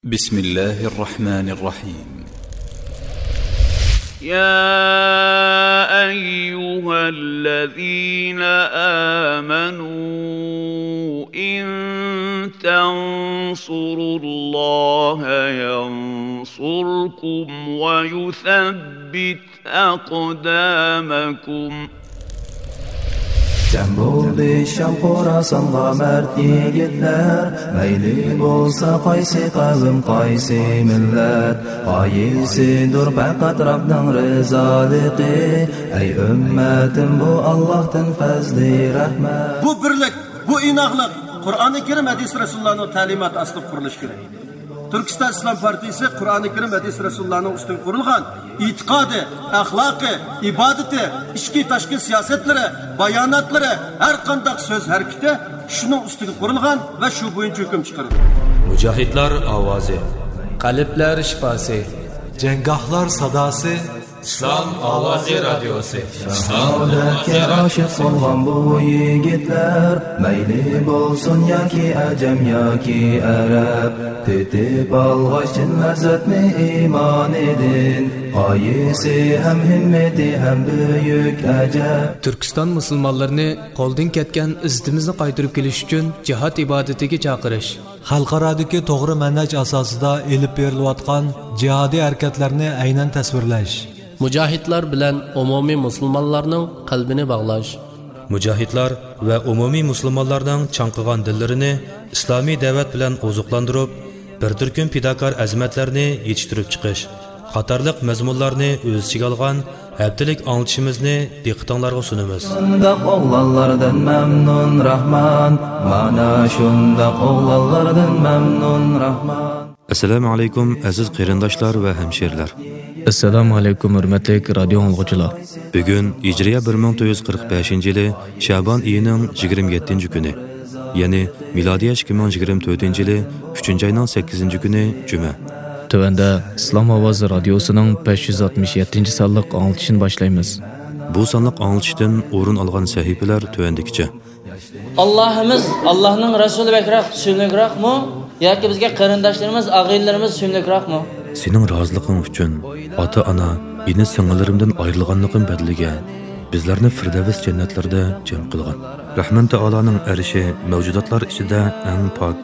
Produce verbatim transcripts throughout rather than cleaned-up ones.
بسم الله الرحمن الرحيم. يا أيها الذين آمنوا إن تنصروا الله ينصركم ويثبت أقدامكم. جەم بولدى شام خوراسانغا مەرد يىگىتلەر، مەيلى بولسا قايسى قەۋم، قايسى مىللەت، غايىسىدۇر پەقەت رەبنىڭ رىزالىقى. ئەي ئۈممەتىم، بۇ ئاللاھتىن پەزلى رەھمەت. بۇ بىرلىك، بۇ ئىناقلىق قۇرئانى كەرىم، ھەدىس رەسۇلۇللانىڭ تەلىماتى ئاستىدا قۇرۇلۇشى كېرەك. تۈركىستان ئىسلام پارتىيىسى قۇرئانى كەرىم، ھەدىس رەسۇلۇللانىڭ ئۈستىگە قۇرۇلغان ئېتىقادى، ئەخلاقى، ئىبادىتى، ئىچكى تاشقى سىياسەتلىرى، باياناتلىرى، ھەر قانداق سۆز ھەرىكىتى شۇنىڭ ئۈستىگە قۇرۇلغان ۋە شۇ بويىچە ھۆكۈم چىقىرىدۇ. مۇجاھىدلار ئاۋازى. قەلبلەر شىپاسى. جەڭگاھلار ساداسى. ئىسلام ئاۋازى رادىيوسى. شاھادەتكە ئاشىق بولغان بۇ يىگىتلەر، مەيلى بولسۇن ياكى ئەجەم ياكى ئەرەب، تېتىپ ئالغاچ چىن لەززەتنى ئىمانىدىن، غايىسى ھەم ھىممىتى ھەم بۈيۈك ئەجەب. تۈركىستان مۇسۇلمانلىرىنى قولدىن كەتكەن ئىززىتىمىزنى قايتۇرۇپ كېلىش ئۈچۈن جىھاد ئىبادىتىگە چاقىرىش. خەلقئارادىكى توغرا مەنھەج ئاساسىدا ئېلىپ بېرىلىۋاتقان جىھادىي ھەرىكەتلەرنى ئەينەن تەسۋىرلەش. مۇجاھىدلار بىلەن ئومۇمىي مۇسۇلمانلارنىڭ قەلبىنى باغلاش. مۇجاھىدلار ۋە ئومۇمىي مۇسۇلمانلارنىڭ چاڭقىغان دىللىرىنى ئىسلامىي دەۋەت بىلەن ئوزۇقلاندۇرۇپ، بىر تۈركۈم پىداكار ئەزىمەتلەرنى يېتىشتۈرۈپ چىقىش قاتارلىق مەزمۇنلارنى ئۆز ئىچىگە ئالغان ھەپتىلىك ئاڭلىتىشىمىزنى دىققىتىڭلارغا سۇنىمىز. شۇنداق ئوغلانلاردىن مەمنۇن راھمان، مانا شۇنداق ئوغلانلاردىن مەمنۇن راھمان. ئەسسالامۇ ئەلەيكۇم، ئەزىز قېرىنداشلار ۋە ھەمشىرىلەر. ئەسسالامۇ ئەلەيكۇم، ھۆرمەتلىك رادىيو ئاڭلىغۇچىلار. بۈگۈن ھىجرىيە بىر مىڭ تۆت يۈز قىرىق بەشىنچى يىلى شەبان ئېيىنىڭ يىگىرمە يەتتىنچى كۈنى، يەنى مىلادىيە ئىككى مىڭ يىگىرمە تۆتىنچى يىلى ئۈچىنچى ئاينىڭ سەككىزىنچى كۈنى جۈمە. تۆۋەندە ئىسلام ئاۋازى رادىيوسىنىڭ بەش يۈز ئاتمىش يەتتىنچى سانلىق ئاڭلىتىشىنى باشلايمىز. بۇ سانلىق ئاڭلىتىشتىن ئورۇن ئالغان سەھىپىلەر تۆۋەندىكىچە. ئاللاھىمىز، ئاللاھنىڭ رەسۇلى بەكرەك، سۆيۈملۈكراقمۇ ياكى بىزگە قېرىنداشلىرىمىز، ئاغىنىلىرىمىز سۆيۈملۈكراقمۇ؟ سېنىڭ رازىلىقىڭ ئۈچۈن ئاتا-ئانا، ئىنى-سىڭىللىرىمدىن ئايرىلغانلىقىم بەدىلىگە بىزلەرنى فىردەۋس جەننەتلىرىدە جەم قىلغىن. رەھمان تائالانىڭ ئەرشى مەۋجۇداتلار ئىچىدە ئەڭ پاك،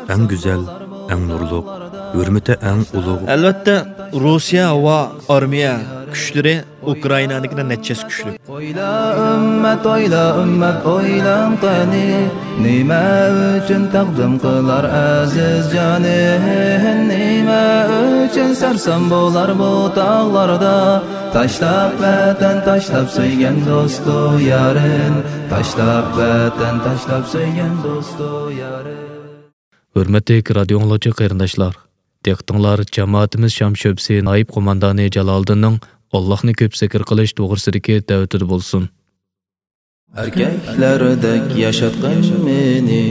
ئەڭ گۈزەل، ئەڭ نۇرلۇق، ھۆرمىتى ئەڭ ئۇلۇغ. ئەلۋەتتە، روسىيە ھاۋا ئارمىيە كۈچلىرى ئۇكرائىنانىڭكىدىن نەچچە ھەسسە كۈچلۈك. ئويلا ئۈممەت، ئويلا ئۈممەت، ئويلاڭ قېنى، نېمە ئۈچۈن تەقدىم قىلار ئەزىز جانىن؟ نېمە ئۈچۈن سەرسان بولار بۇ تاغلاردا؟ تاشلاپ ۋەتەن، تاشلاپ سۆيگەن دوستۇ يارىن، تاشلاپ ۋەتەن، تاشلاپ سۆيگەن دوستۇ يارىن. ھۆرمەتلىك رادىيو ئاڭلىغۇچى قېرىنداشلار، دىققىتىڭلار جامائىتىمىز شام شۆبىسى نايىب قوماندانى جالالىدىننىڭ ئاللاھنى كۆپ زىكىر قىلىش توغرىسىدىكى دەۋىتىدە بولسۇن. ئەركەكلەردەك ياشاتقىن مېنى،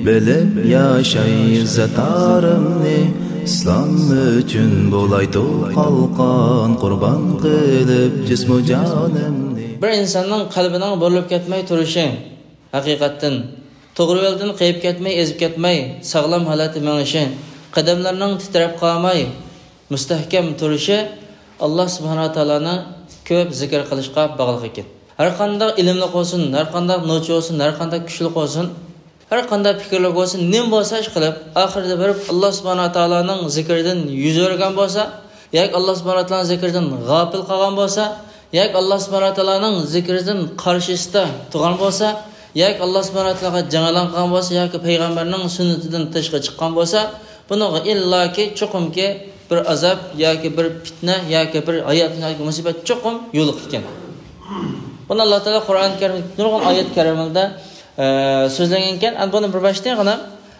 بىلىپ ياشاي ئىززەت-ئارىمنى، ئىسلام ئۈچۈن بولايتۇ قالقان، قۇربان قىلىپ جىسمۇ جانىمنى. بىر ئىنساننىڭ قەلبىنىڭ بۇرۇلۇپ كەتمەي تۇرۇشى، ھەقىقەتتىن، توغرا يولدىن قېيىپ كەتمەي، ئېزىپ كەتمەي، ساغلام ھالەتتە مېڭىشى، قەدەملىرىنىڭ تىترەپ قالماي، مۇستەھكەم تۇرۇشى ئاللا سۇبھانەھۇ ۋە تائالانى كۆپ زىكىر قىلىشقا باغلىق ئىكەن. ھەر قانداق ئىلىملىق بولسۇن، ھەر قانداق نوچى بولسۇن، ھەر قانداق كۈچلۈك بولسۇن، ھەر قانداق پىكىرلىك بولسۇن، نېمە بولسا ئىش قىلىپ، ئاخىرىدا بېرىپ ئاللا سۇبھانەھۇ ۋە تائالانىڭ زىكرىدىن يۈز ئۆرۈگەن بولسا، ياكى ئاللا سۇبھانەھۇ ۋە تائالانىڭ زىكرىدىن غاپىل قالغان بولسا، ياكى ئاللا سۇبھانەھۇ ۋە تائالانىڭ زىكرىدىن قارشىسىدا تۇرغان بولسا، ياكى ئاللا سۇبھانەھۇ ۋە تائالاغا جەڭ ئېلان قىلغان بولسا، ياكى پەيغەمبەرنىڭ سۈننىتىدىن تىرىشقا چىققان بولسا، بۇنىڭغا ئىللاكى چوقۇمكى بىر ئازاب ياكى بىر پىتنە ياكى بىر ھاياتىي مۇسىبەت چوقۇم يولۇقىدىكەن. بۇنى ئاللا تائالا قۇرئان كەرىم نۇرغۇن ئايەت كەرىمىدە، ئە، سۆزلەنگەنكەن. ئەمدى بۇنى بىر باشتىن غىنا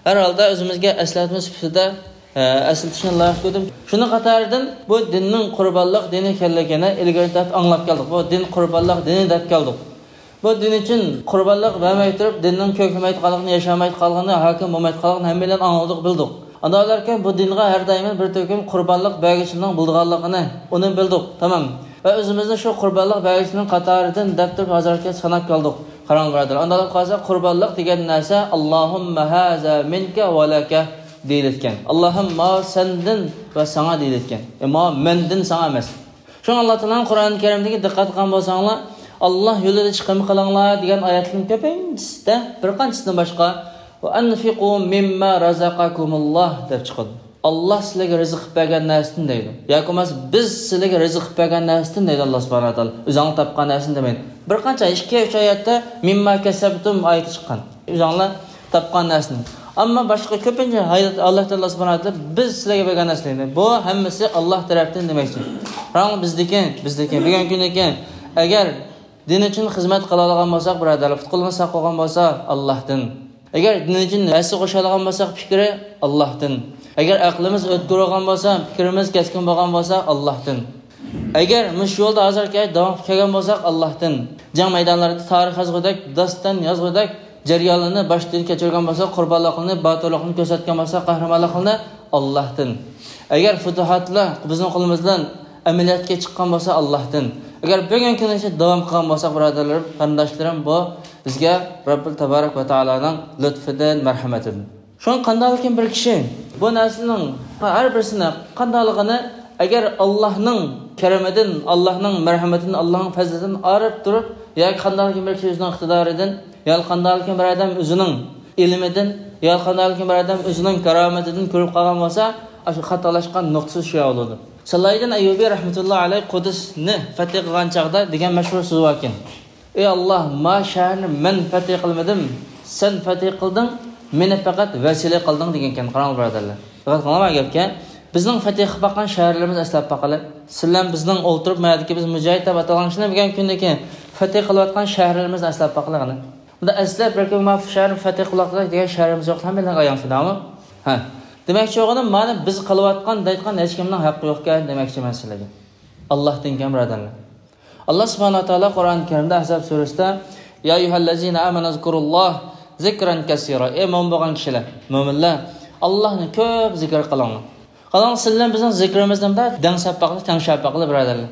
ھەر ھالدا ئۆزىمىزگە ئەسلەتمە سۈپىتىدە، ئە، ئەسلىتىشنى لايىق كۆردۈم. شۇنىڭ قاتارىدىن بۇ دىننىڭ قۇربانلىق دىنى ئىكەنلىكىنى ئىلگىرى تارتىپ ئاڭلاپ كەلدۇق. بۇ دىن قۇربانلىق دىنى دەپ كەلدۇق. بۇ دىن ئۈچۈن قۇربانلىق بەرمەي تۇرۇپ، دىننىڭ كۆكلىمەيدىغانلىقىنى، ياشامايدىغانلىقىنى، ھاكىم بولمايدىغانلىقىنى ھەممەيلەن ئاڭلىدۇق، بىلدۇق. ئاندىن بۇ دىنغا ھەر دائىم بىر تۈركۈم قۇربانلىق بەرگۈچىلەرنىڭ بولىدىغانلىقىنى، ئۇنى بىلدۇق، تامام. ۋە ئۆزىمىزنى شۇ قۇربانلىق بەرگۈچىلەرنىڭ قاتارىدىن دەپ تۇرۇپ، ھازىرغىچە ساناپ كەلدۇق. قاراڭ، بۇرادەر، ئانداق قارىساق، قۇربانلىق دېگەن نەرسە، اللهم هذا منك ولك. دېيىلىدىكەن. ئاللاھىم، ماۋۇ سەندىن ۋە ساڭا دېيىلىدىكەن. ئە، ماۋۇ مەندىن ساڭا ئەمەس. شۇڭا ئاللا تائالانىڭ قۇرئان كەرىمدىكى، دىققەت قىلغان بولساڭلار، ئاللا يولىدا چىقىم قىلىڭلار دېگەن ئايەتلەرنىڭ كۆپىنچىسىدە، بىر قانچىسىدىن باشقا، ۋە ئەنفىقۇ مىمما رازاقاكۇمۇللاھ دەپ چىقىدۇ. ئاللا سىلەرگە رىزىق قىلىپ بەرگەن نەرسىدىن دەيدۇ. ياكى بولماسا بىز سىلەرگە رىزىق قىلىپ بەرگەن نەرسىدىن دەيدۇ ئاللا سۇبھانەھۇ ۋە تائالا. ئۆزۈڭلار تاپقان نەرسىدىن دېمەيدۇ. بىر قانچە، ئىككى، ئۈچ ئايەتتە مىمما كەسەبتۇم ئايىتى چىققان. ئۆزۈڭلار تاپقان نەرسىدىن. ئەمما باشقا كۆپىنچە ئايەت ئاللا تائالا سۇبھانەھۇ ۋە تائالا بىز سىلەرگە بەرگەن نەرسىدىن دەيدۇ. بۇ ھەممىسى ئاللا تەرەپتىن دېمەكچى. قاراڭ، بىزدىكى، بىزدىكى، بۈگۈنكى كۈندىكى، ئەگەر دىن ئۈچۈن خىزمەت قىلالىغان بولساق، بۇرادەرلەر، پۇت-قولىمىز ساق بولغان بولسا، ئاللاھتىن. ئەگەر دىن ئۈچۈن ھەسسە قوشالىغان بولساق، پىكرى ئاللاھتىن. ئەگەر ئەقلىمىز ئۆتكۈر بولغان بولسا، پىكرىمىز كەسكىن بولغان بولسا، ئاللاھتىن. ئەگەر مۇشۇ يولدا ھازىرقى داۋام قىلىپ كەلگەن بولساق، ئاللاھتىن. جەڭ مەيدانلىرىدا تارىخ يازغۇدەك، داستان يازغۇدەك جەريانلارنى باشتىن كەچۈرگەن بولسا، قۇربانلىقلىرىنى، باتۇرلۇقىنى كۆرسەتكەن بولسا، قەھرىمانلىقلىرىنى، ئاللاھتىن. ئەگەر پۇتۇھاتلار بىزنىڭ قولىمىز بىلەن ئەمەلىيەتكە چىققان بولسا، ئاللاھتىن. ئەگەر بۈگۈنكى كۈنگىچە داۋام قىلغان بولساق، بۇرادەرلىرىم، قېرىنداشلىرىم، بۇ بىزگە رەببىل تابارەك ۋە تائالانىڭ لۇتفىدىن، مەرھەمىتىدىن. شۇڭا قانداقلىكىن بىر كىشى بۇ نەرسىنىڭ ھەر بىرسىنى قانداقلىقىنى، ئەگەر ئاللاھنىڭ كەرىمىدىن، ئاللاھنىڭ مەرھەمىتىدىن، ئاللاھنىڭ پەزلىدىن ئايرىپ تۇرۇپ، ياكى قانداقلىكىن بىر كىشى ئۆزىنىڭ ئىقتىدارىدىن، يا قانداقلىكىن بىر ئادەم ئۆزىنىڭ ئىلمىدىن، يا قانداقلىكىن بىر ئادەم ئۆزىنىڭ كارامىتىدىن كۆرۈپ قالغان بولسا، ئاشۇ خاتالاشقان نۇقتىسى شۇ بولىدۇ. سالاھىدىن ئەييۇبى رەھمەتۇللا ئەلەيھ قۇدسنى فەتھى قىلغان چاغدا دېگەن مەشھۇر سۆزى باركەن. ئەي ئاللاھ، ما شەھەرنى مەن فەتھى قىلمىدىم، سەن فەتھى قىلدىڭ، مېنى پەقەت ۋەسىلە قىلدىڭ دېگەنكەن. قاراڭ بۇرادەرلەر. دىققەت قىلىڭلار گەپكە. بىزنىڭ فەتھى قىلىپ باققان شەھەرلىرىمىزنى ئەسلەپ باقىلى. سىلەر بىزنىڭ ئولتۇرۇپ مەدىكى بىز مۇجاھىد دەپ ئاتالغان كىشىلەر بۈگۈنكى كۈندىكى فەتھى قىلىۋاتقان شەھەرلىرىمىزنى ئەسلەپ باقىلى قېنى. بۇندا ئەسلەپ بىر كۈن ما شەھەرنى فەتھى قىلىۋاتىدۇ دېگەن شەھىرىمىز يوق، ھەممىلەرگە ئايان شۇنداقمۇ؟ ھە. دېمەكچى بولغىنىم، مانا بىز قىلىۋاتقان دەيدىغان ھېچكىمنىڭ ھەققى يوقكەن دېمەكچىمەن سىلەرگە. ئاللاھتىنكەن بۇرادەرلەر. ئاللاھ سۇبھانەھۇ ۋە تائالا قۇرئان كەرىمدە ئەھزاب سۈرىسىدە، يا ئەييۇھەللەزىنە ئامەنۇ ئۇزكۇرۇللاھ زىكرەن كەسىرا. ئەي مۆمىن بولغان كىشىلەر، مۆمىنلەر، ئاللاھنى كۆپ زىكىر قىلىڭلار. قاراڭ، سىلەر بىلەن بىزنىڭ زىكرىمىزنى مۇنداق دەڭسەپ باقىلى، تەڭشەپ باقىلى بۇرادەرلەر.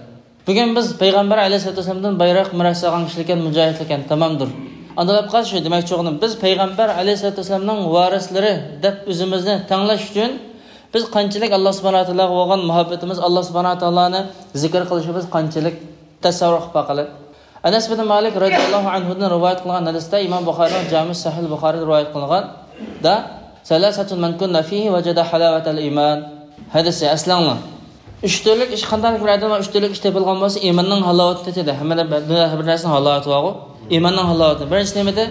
بۈگۈن بىز پەيغەمبەر ئەلەيھىسسالاتۇ ۋەسسالامدىن بايراق مىراس ئالغان كىشىلەركەن، مۇجاھىدلەركەن، تامامدۇر. ئاندىن قالسا شۇ دېمەكچى بولغىنىم، بىز پەيغەمبەر ئەلەيھىسسالاتۇ ۋەسسالامنىڭ ۋارىسلىرى دەپ ئۆزىمىزنى تەڭلەش ئۈچۈن بىز قانچىلىك ئاللاھ سۇبھانەھۇ ۋە تائالاغا بولغان مۇھەببىتىمىز، ئاللاھ سۇبھانەھۇ ۋە تائالانى زىكىر قىلىشىمىز قانچىلىك، تەسەۋۋۇر قىلىپ باقىلى. ئەنەس بىن مالىك رەزىيەللاھۇ ئەنھۇدىن رىۋايەت قىلغان ھەدىستە، ئىمام بۇخارىنىڭ جامى سەھىھ بۇخارىدا رىۋايەت قىلغان، دا، سەلاسەتۇن مەن كۇننە فىھى ۋەجەدە ھالاۋەتەل ئىمان. ھەدىسى ئەسلەڭلار. ئۈچ تۈرلۈك ئىش، قانداق بىر ئادەمدە ئۈچ تۈرلۈك ئىش تېپىلغان بولسا، ئىماننىڭ ھالاۋىتىنى تېتىدى. ھەممىدە بىر، بىر نەرسىنىڭ ھالاۋىتى بارغۇ. ئىماننىڭ ھالاۋىتى. بىرىنچىسى نېمىدى؟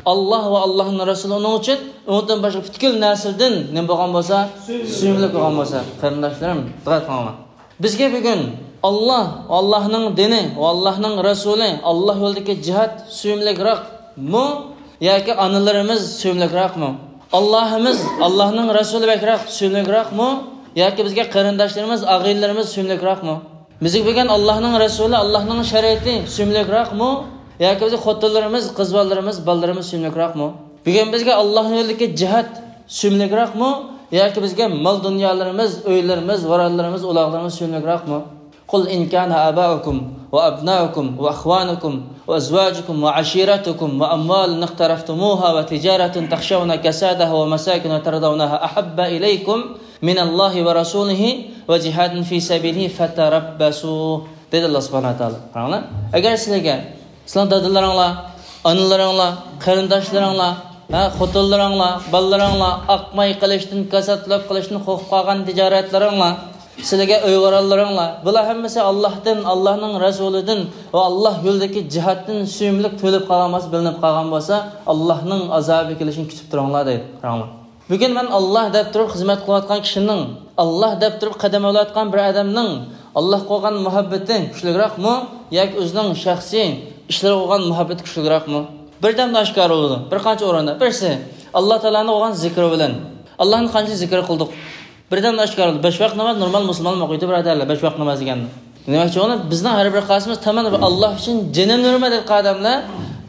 ئاللاھ ۋە ئاللاھنىڭ رەسۇلى ئۇنىڭ ئۈچۈن، ئۇنىڭدىن باشقا پۈتكۈل نەرسىدىن نېمە بولغان بولسا، سۆيۈملۈك بولغان بولسا. قېرىنداشلىرىم، دىققەت قىلىڭلار. بىزگە بۈگۈن ئاللاھ ۋە ئاللاھنىڭ دىنى ۋە ئاللاھنىڭ رەسۇلى، ئاللاھ يولىدىكى جىھاد سۆيۈملۈكراقمۇ ياكى ئانىلىرىمىز سۆيۈملۈكراقمۇ؟ ئاللاھىمىز، ئاللاھنىڭ رەسۇلى بەكرەك سۆيۈملۈكراقمۇ ياكى بىزگە قېرىنداشلىرىمىز، ئاغىنىلىرىمىز سۆيۈملۈكراقمۇ؟ بىزگە بۈگۈن ئاللاھنىڭ رەسۇلى، ئاللاھنىڭ شەرىئىتى سۆيۈملۈكراقمۇ ياكى بىزگە خوتۇنلىرىمىز، قىز بالىلىرىمىز، بالىلىرىمىز سۆيۈملۈكراقمۇ؟ بۈگۈن بىزگە ئاللاھنىڭ يولىدىكى جىھاد سۆيۈملۈكراقمۇ ياكى بىزگە مال-دۇنيالىرىمىز، ئۆيلىرىمىز، ۋارانلىرىمىز، ئۇلاغلىرىمىز سۆيۈملۈكراقمۇ؟ قل إن كان آباؤكم وأبناؤكم وإخوانكم وأزواجكم وعشيرتكم وأموال اقترفتموها وتجارة تخشون كسادها ومساكن ترضونها أحب إليكم من الله ورسوله وجهاد في سبيله فتربصوا، دېدى ئاللاھ سۇبھانەھۇ ۋە تائالا. قاراڭلار، ئەگەر سىلەرگە سىلەرنىڭ دادىلىرىڭلار، ئانىلىرىڭلار، قېرىنداشلىرىڭلار، ھە، خوتۇنلىرىڭلار، بالىلىرىڭلار ئاقماي قېلىشتىن، كاساتلاپ قېلىشتىن قورقۇپ قالغان تىجارەتلىرىڭلار، سىلىگە ئۆي-ۋارانلىرىڭلار، بۇلار ھەممىسى ئاللاھتىن، ئاللاھنىڭ رەسۇلىدىن ۋە ئاللاھ يولىدىكى جىھادتىن سۆيۈملۈك تۆلۈپ قالغان بولسا، بىلىنىپ قالغان بولسا، ئاللاھنىڭ ئازابى كېلىشىنى كۈتۈپ تۇرۇڭلار دەيدۇ. قاراڭلار. بۈگۈن مەن ئاللاھ دەپ تۇرۇپ خىزمەت قىلىۋاتقان كىشىنىڭ، ئاللاھ دەپ تۇرۇپ قەدەم ئېلىۋاتقان بىر ئادەمنىڭ ئاللاھقا بولغان مۇھەببىتى كۈچلۈكراقمۇ ياكى ئۆزىنىڭ شەخسىي ئىشلىرىغا بولغان مۇھەببىتى كۈچلۈكراقمۇ؟ بىردەمدە ئاشكارا بولىدۇ. بىر قانچە ئورۇندا. بىرسى، ئاللاھ تائالانىڭ بولغان زىكرى بىلەن. ئاللاھنى قانچە زىكىر قىلدۇق؟ بىردەمدە ئاشكارا بولىدۇ. بەش ۋاق ناماز نورمال مۇسۇلمانلار ئوقۇيدۇ، بىرادەرلەر، بەش ۋاق ناماز دېگەننى. دېمەكچى بولغىنىم، بىزنىڭ ھەر بىر قايسىمىز تامام بىر ئاللاھ ئۈچۈن جېنىمنى بېرىمەن دەيدىغان ئادەملەر،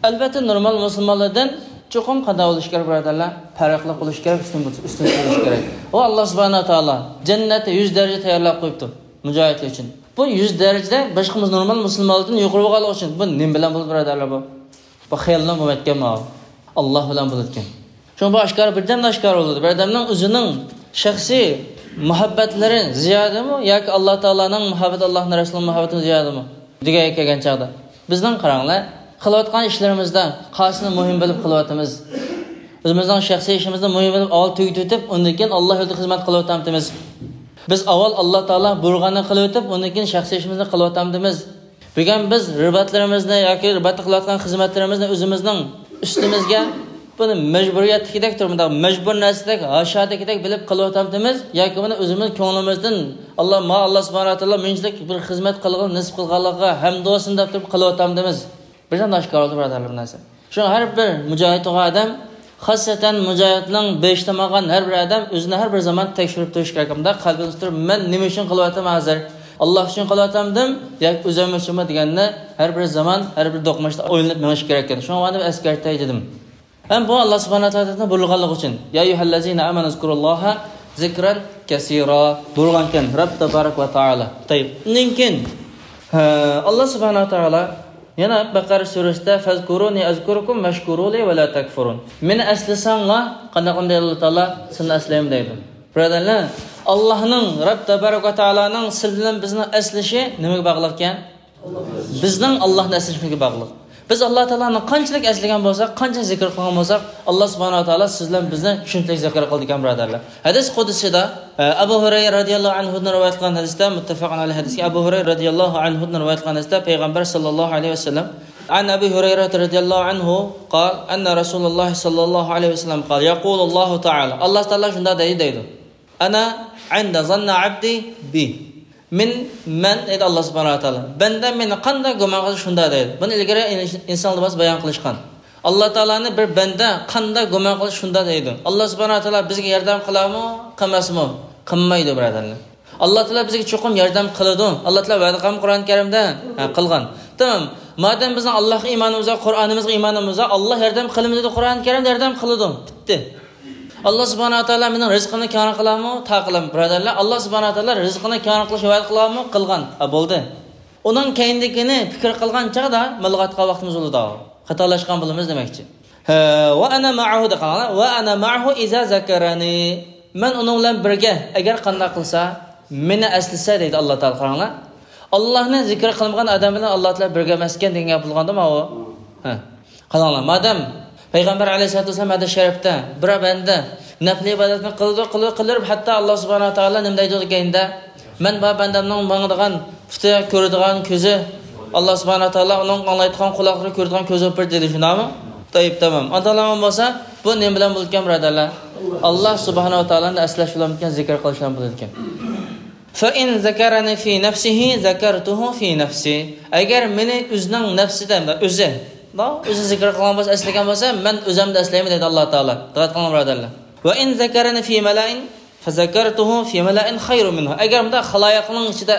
ئەلۋەتتە، نورمال مۇسۇلمانلاردىن چوقۇم قانداق بولۇشى كېرەك، بىرادەرلەر؟ پەرقلىق بولۇشى كېرەك، ئۈستۈن، ئۈستۈن بولۇشى كېرەك. ئۇ ئاللاھ سۇبھانەھۇ ۋە تائالا جەننەتتە يۈز دەرىجە تەييارلاپ قويۇپتۇ مۇجاھىدلار ئۈچۈن. بۇ يۈز دەرىجىدە باشقا نورمال مۇسۇلمانلاردىن يۇقىرى بولغانلىقى ئۈچۈن، بۇ نېمە بىلەن بولىدۇ، بىرادەرلەر، بۇ؟ بۇ خىيال بىلەن بولمايدىكەن، ماۋۇ. ئاللاھ بىلەن بولىدىكەن. شۇڭا بۇ ئاشكارا، بىردەمدە ئاشكارا بولىدۇ. بىر ئادەمنىڭ ئۆزىنىڭ شەخسىي مۇھەببەتلىرى زىيادىمۇ ياكى ئاللا تائالانىڭ مۇھەببىتى، ئاللانىڭ رەسۇلىنىڭ مۇھەببىتى زىيادىمۇ دېگەنگە كەلگەن چاغدا، بىزنىڭ قاراڭلار، قىلىۋاتقان ئىشلىرىمىزدا قايسىنى مۇھىم بىلىپ قىلىۋاتىمىز؟ ئۆزىمىزنىڭ شەخسىي ئىشىمىزنى مۇھىم بىلىپ، ئاۋۋال تۈگىتىۋېتىپ، ئۇندىن كېيىن ئاللا يولىدا خىزمەت قىلىۋاتامتىمىز؟ بىز ئاۋۋال ئاللا تائالا بۇيرۇغاننى قىلىۋېتىپ، ئۇندىن كېيىن شەخسىي ئىشىمىزنى قىلىۋاتامتىمىز؟ بۈگۈن بىز رىباتلىرىمىزنى ياكى رىباتتا قىلىۋاتقان خىزمەتلىرىمىزنى ئۆزىمىزنىڭ ئۈستىمىزگە، بۇنى مەجبۇرىيەتتىكىدەك تۇرۇپ، مۇنداق مەجبۇر نەرسىدەك، ھاشادىكىدەك بىلىپ قىلىۋاتامتىمىز ياكى بۇنى ئۆزىمىز كۆڭلىمىزدىن، «ئاللا، ماڭا ئاللا سۇبھانەھۇ ۋە تائالا مۇنچىلىك بىر خىزمەت قىلغىلى نېسىپ قىلغانلىقىغا ھەمدۇ بولسۇن» دەپ تۇرۇپ قىلىۋاتامتىمىز؟ بىردەم ئاشكارا بولدى، بۇرادەرلەر، بۇ نەرسە. شۇڭا ھەر بىر مۇجاھىد بولغان ئادەم، خاسسەتەن مۇجاھىدنىڭ بېشى تامغان ھەر بىر ئادەم ئۆزىنى ھەر بىر زامان تەكشۈرۈپ تۇرۇشى كېرەك. مۇنداق قەلبىنى تۇتۇپ، مەن نېمە ئۈچۈن قىلىۋاتىمەن ھازىر؟ ئاللا ئۈچۈن قىلىۋاتامدىم ياكى ئۆزۈم ئۈچۈنمۇ دېگەننى ھەر بىر زامان، ھەر بىر دوقمۇشتا ئويلىنىپ مېڭىش كېرەك ئىكەن. شۇڭا مانا بۇ ئەسكەرتەي دېدىم. ھەم بۇ ئاللا سۇبھانەھۇ ۋە تائالانىڭ بۇيرۇغانلىقى ئۈچۈن، يا ئەييۇھەللەزىنە ئامەنۇ ئۇزكۇرۇللاھە زىكرەن كەسىرا بۇيرۇغانكەن رەب تەبارەك ۋە تائالا. تەيب. ئۇنىڭ كېيىن، ھە، ئاللا سۇبھانەھۇ ۋە تائالا يەنە بەقەرە سۈرىسىدە، فەزكۇرۇنى ئەزكۇركۇم ۋەشكۇرۇلى ۋە لا تەكفۇرۇن. مېنى ئەسلىسەڭلار، قانداق دەيدۇ ئاللا تائالا، سىلىنى ئەسلەيمەن دەيدۇ. بۇرادەرلەر، ئاللانىڭ، رەب تەبارەك ۋە تائالانىڭ سىلى بىلەن بىزنى ئەسلىشى نېمىگە باغلىق ئىكەن؟ بىزنىڭ ئاللانى ئەسلىشىمىزگە باغلىق. بىز ئاللا تائالانى قانچىلىك ئەسلىگەن بولساق، قانچە زىكىر قىلغان بولساق، ئاللا سۇبھانەھۇ ۋە تائالا سىز بىلەن بىزنى شۇنچىلىك زىكىر قىلىدىكەن، بۇرادەرلەر. ھەدىس قۇدسىدا، ئە، ئەبۇ ھۇرەيرە رادىياللاھۇ ئەنھۇدىن رىۋايەت قىلغان ھەدىستە، مۇتتەپەقۇن ئەلەيھ ھەدىسكە، ئەبۇ ھۇرەيرە رادىياللاھۇ ئەنھۇدىن رىۋايەت قىلغان ھەدىستە پەيغەمبەر ساللاللاھۇ ئەلەيھى ۋەسەللەم، عن أبي هريرة رضي الله عنه قال أن رسول الله صلى الله عليه وسلم قال يقول الله تعالى، ئاللا تائالا شۇنداق دەيدۇ، دەيدۇ. أنا عند ظن عبدي بي. مەن، مەن دەيدۇ ئاللا سۇبھانەھۇ ۋە تائالا، بەندەم مېنى قانداق گۇمان قىلسا شۇنداق دەيدۇ. بۇنى ئىلگىرى ئىنسانلار بىر بايان قىلىشقان. ئاللا تائالانى بىر بەندە قانداق گۇمان قىلسا شۇنداق دەيدۇ. ئاللا سۇبھانەھۇ ۋە تائالا بىزگە ياردەم قىلارمۇ، قىلماسمۇ؟ قىلمايدۇ، بۇرادەرلەر. ئاللا تائالا بىزگە چوقۇم ياردەم قىلىدۇ. ئاللا تائالا ۋەدە قىلغان قۇرئان كەرىمدە، ھە، قىلغان. تامام. مادەم بىزنىڭ ئاللاغا ئىمانىمىز بار، قۇرئانىمىزغا ئىمانىمىز بار، ئاللا ياردەم قىلىمىز دەيدۇ، قۇرئان كەرىمدە ياردەم قىلىدۇ. پۈتتى. ئاللا سۇبھانەھۇ ۋە تائالا مېنىڭ رىزقىمنى كەڭرى قىلارمۇ؟ تا قىلىمەن، بۇرادەرلەر. ئاللا سۇبھانەھۇ ۋە تائالا رىزقىنى كەڭرى قىلىشنى ۋەدە قىلارمۇ؟ قىلغان. ھە، بولدى. ئۇنىڭ كەينىدىكىنى پىكىر قىلغان چاغدا مىلغا ئاتقان ۋاقتىمىز بولىدۇ. خاتالاشقان بولىمىز دېمەكچى. ھە، ۋە ئەنە مەئەھۇ دەپ قاراڭلار. ۋە ئەنە مەئەھۇ ئىزا زەكەرەنى. مەن ئۇنىڭ بىلەن بىرگە، ئەگەر قانداق قىلسا، مېنى ئەسلىسە دەيدۇ ئاللا تائالا. قاراڭلار. ئاللانى زىكىر قىلمىغان ئادەم بىلەن ئاللا تائالا بىرگە ئەمەسكەن دېگەن گەپ بولغاندىمۇ ئۇ؟ ھە. قاراڭلار، مادەم پەيغەمبەر ئەلەيھىسسالاتۇ ۋەسسالام ھەدىس شەرىپتە، بىر بەندە نەپلى ئىبادەتنى قىلىدۇ، قىلىدۇ، قىلىدۇ، ھەتتا ئاللا سۇبھانەھۇ ۋە تائالا نېمە دەيدۇ دېگەندە، مەن بار بەندەمنىڭ ماڭىدىغان پۇتى، كۆرىدىغان كۆزى، ئاللا سۇبھانەھۇ ۋە تائالا ئۇنىڭ ئاڭلايدىغان قۇلاقلىرى، كۆرىدىغان كۆزى بولۇپ بېرىدۇ دېدى، شۇنداقمۇ؟ تەيب، تامام. ئانداق بولسا، بۇ نېمە بىلەن بولىدىكەن، بۇرادەرلەر؟ ئاللا سۇبھانەھۇ ۋە تائالانى ئەسلەش بىلەن بولىدىكەن. فإن ذكرني في نفسه ذكرته في نفسي. ئەگەر مېنى ئۆزىنىڭ نەپسىدە، ئۆزى، ئۆزى زىكىر قىلغان بولسا، ئەسلىگەن بولسا، مەن ئۆزۈمدە ئەسلەيمەن دەيدۇ ئاللا تائالا. دىققەت قىلىڭ، بۇرادەرلەر. وإن ذكرني في ملأ فذكرته في ملأ خير منه. ئەگەر مۇنداق خالايىقنىڭ ئىچىدە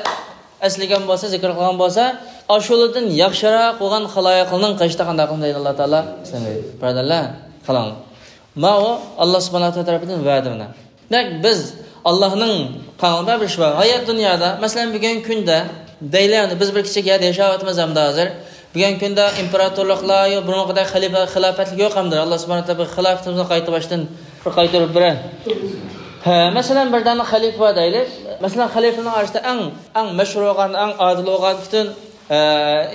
ئەسلىگەن بولسا، زىكىر قىلغان بولسا، ئاشۇلاردىن ياخشىراق بولغان خالايىقنىڭ قېشىدا قانداق قىلىمەن دەيدۇ ئاللا تائالا. بۇرادەرلەر، قاراڭلار. ماۋۇ ئاللا سۇبھانەھۇ ۋە تائالا تەرىپىدىن ۋەدە مانا. دەك بىز ئاللانىڭ قاڭلىدا بىر ئىش بار. ھايات دۇنيادا، مەسىلەن، بۈگۈنكى كۈندە دەيلى، ئەمدى بىز بىر كىچىك يەردە ياشاۋاتىمىز ئەمدى ھازىر. بۈگۈنكى كۈندە ئىمپېراتورلۇقلار يوق، بۇرۇنقىدەك خەلىپە، خىلاپەتلىك يوق ئەمدى. ئاللا سۇبھانەھۇ ۋە تائالا خىلاپىتىمىزنى قايتا باشتىن بىر قايتۇرۇپ بېرە. ھە، مەسىلەن، بىر دانە خەلىپە بار دەيلى. مەسىلەن، خەلىپىنىڭ ئارىسىدا ئەڭ، ئەڭ مەشھۇر بولغان، ئەڭ ئادىل بولغان، پۈتۈن ئە،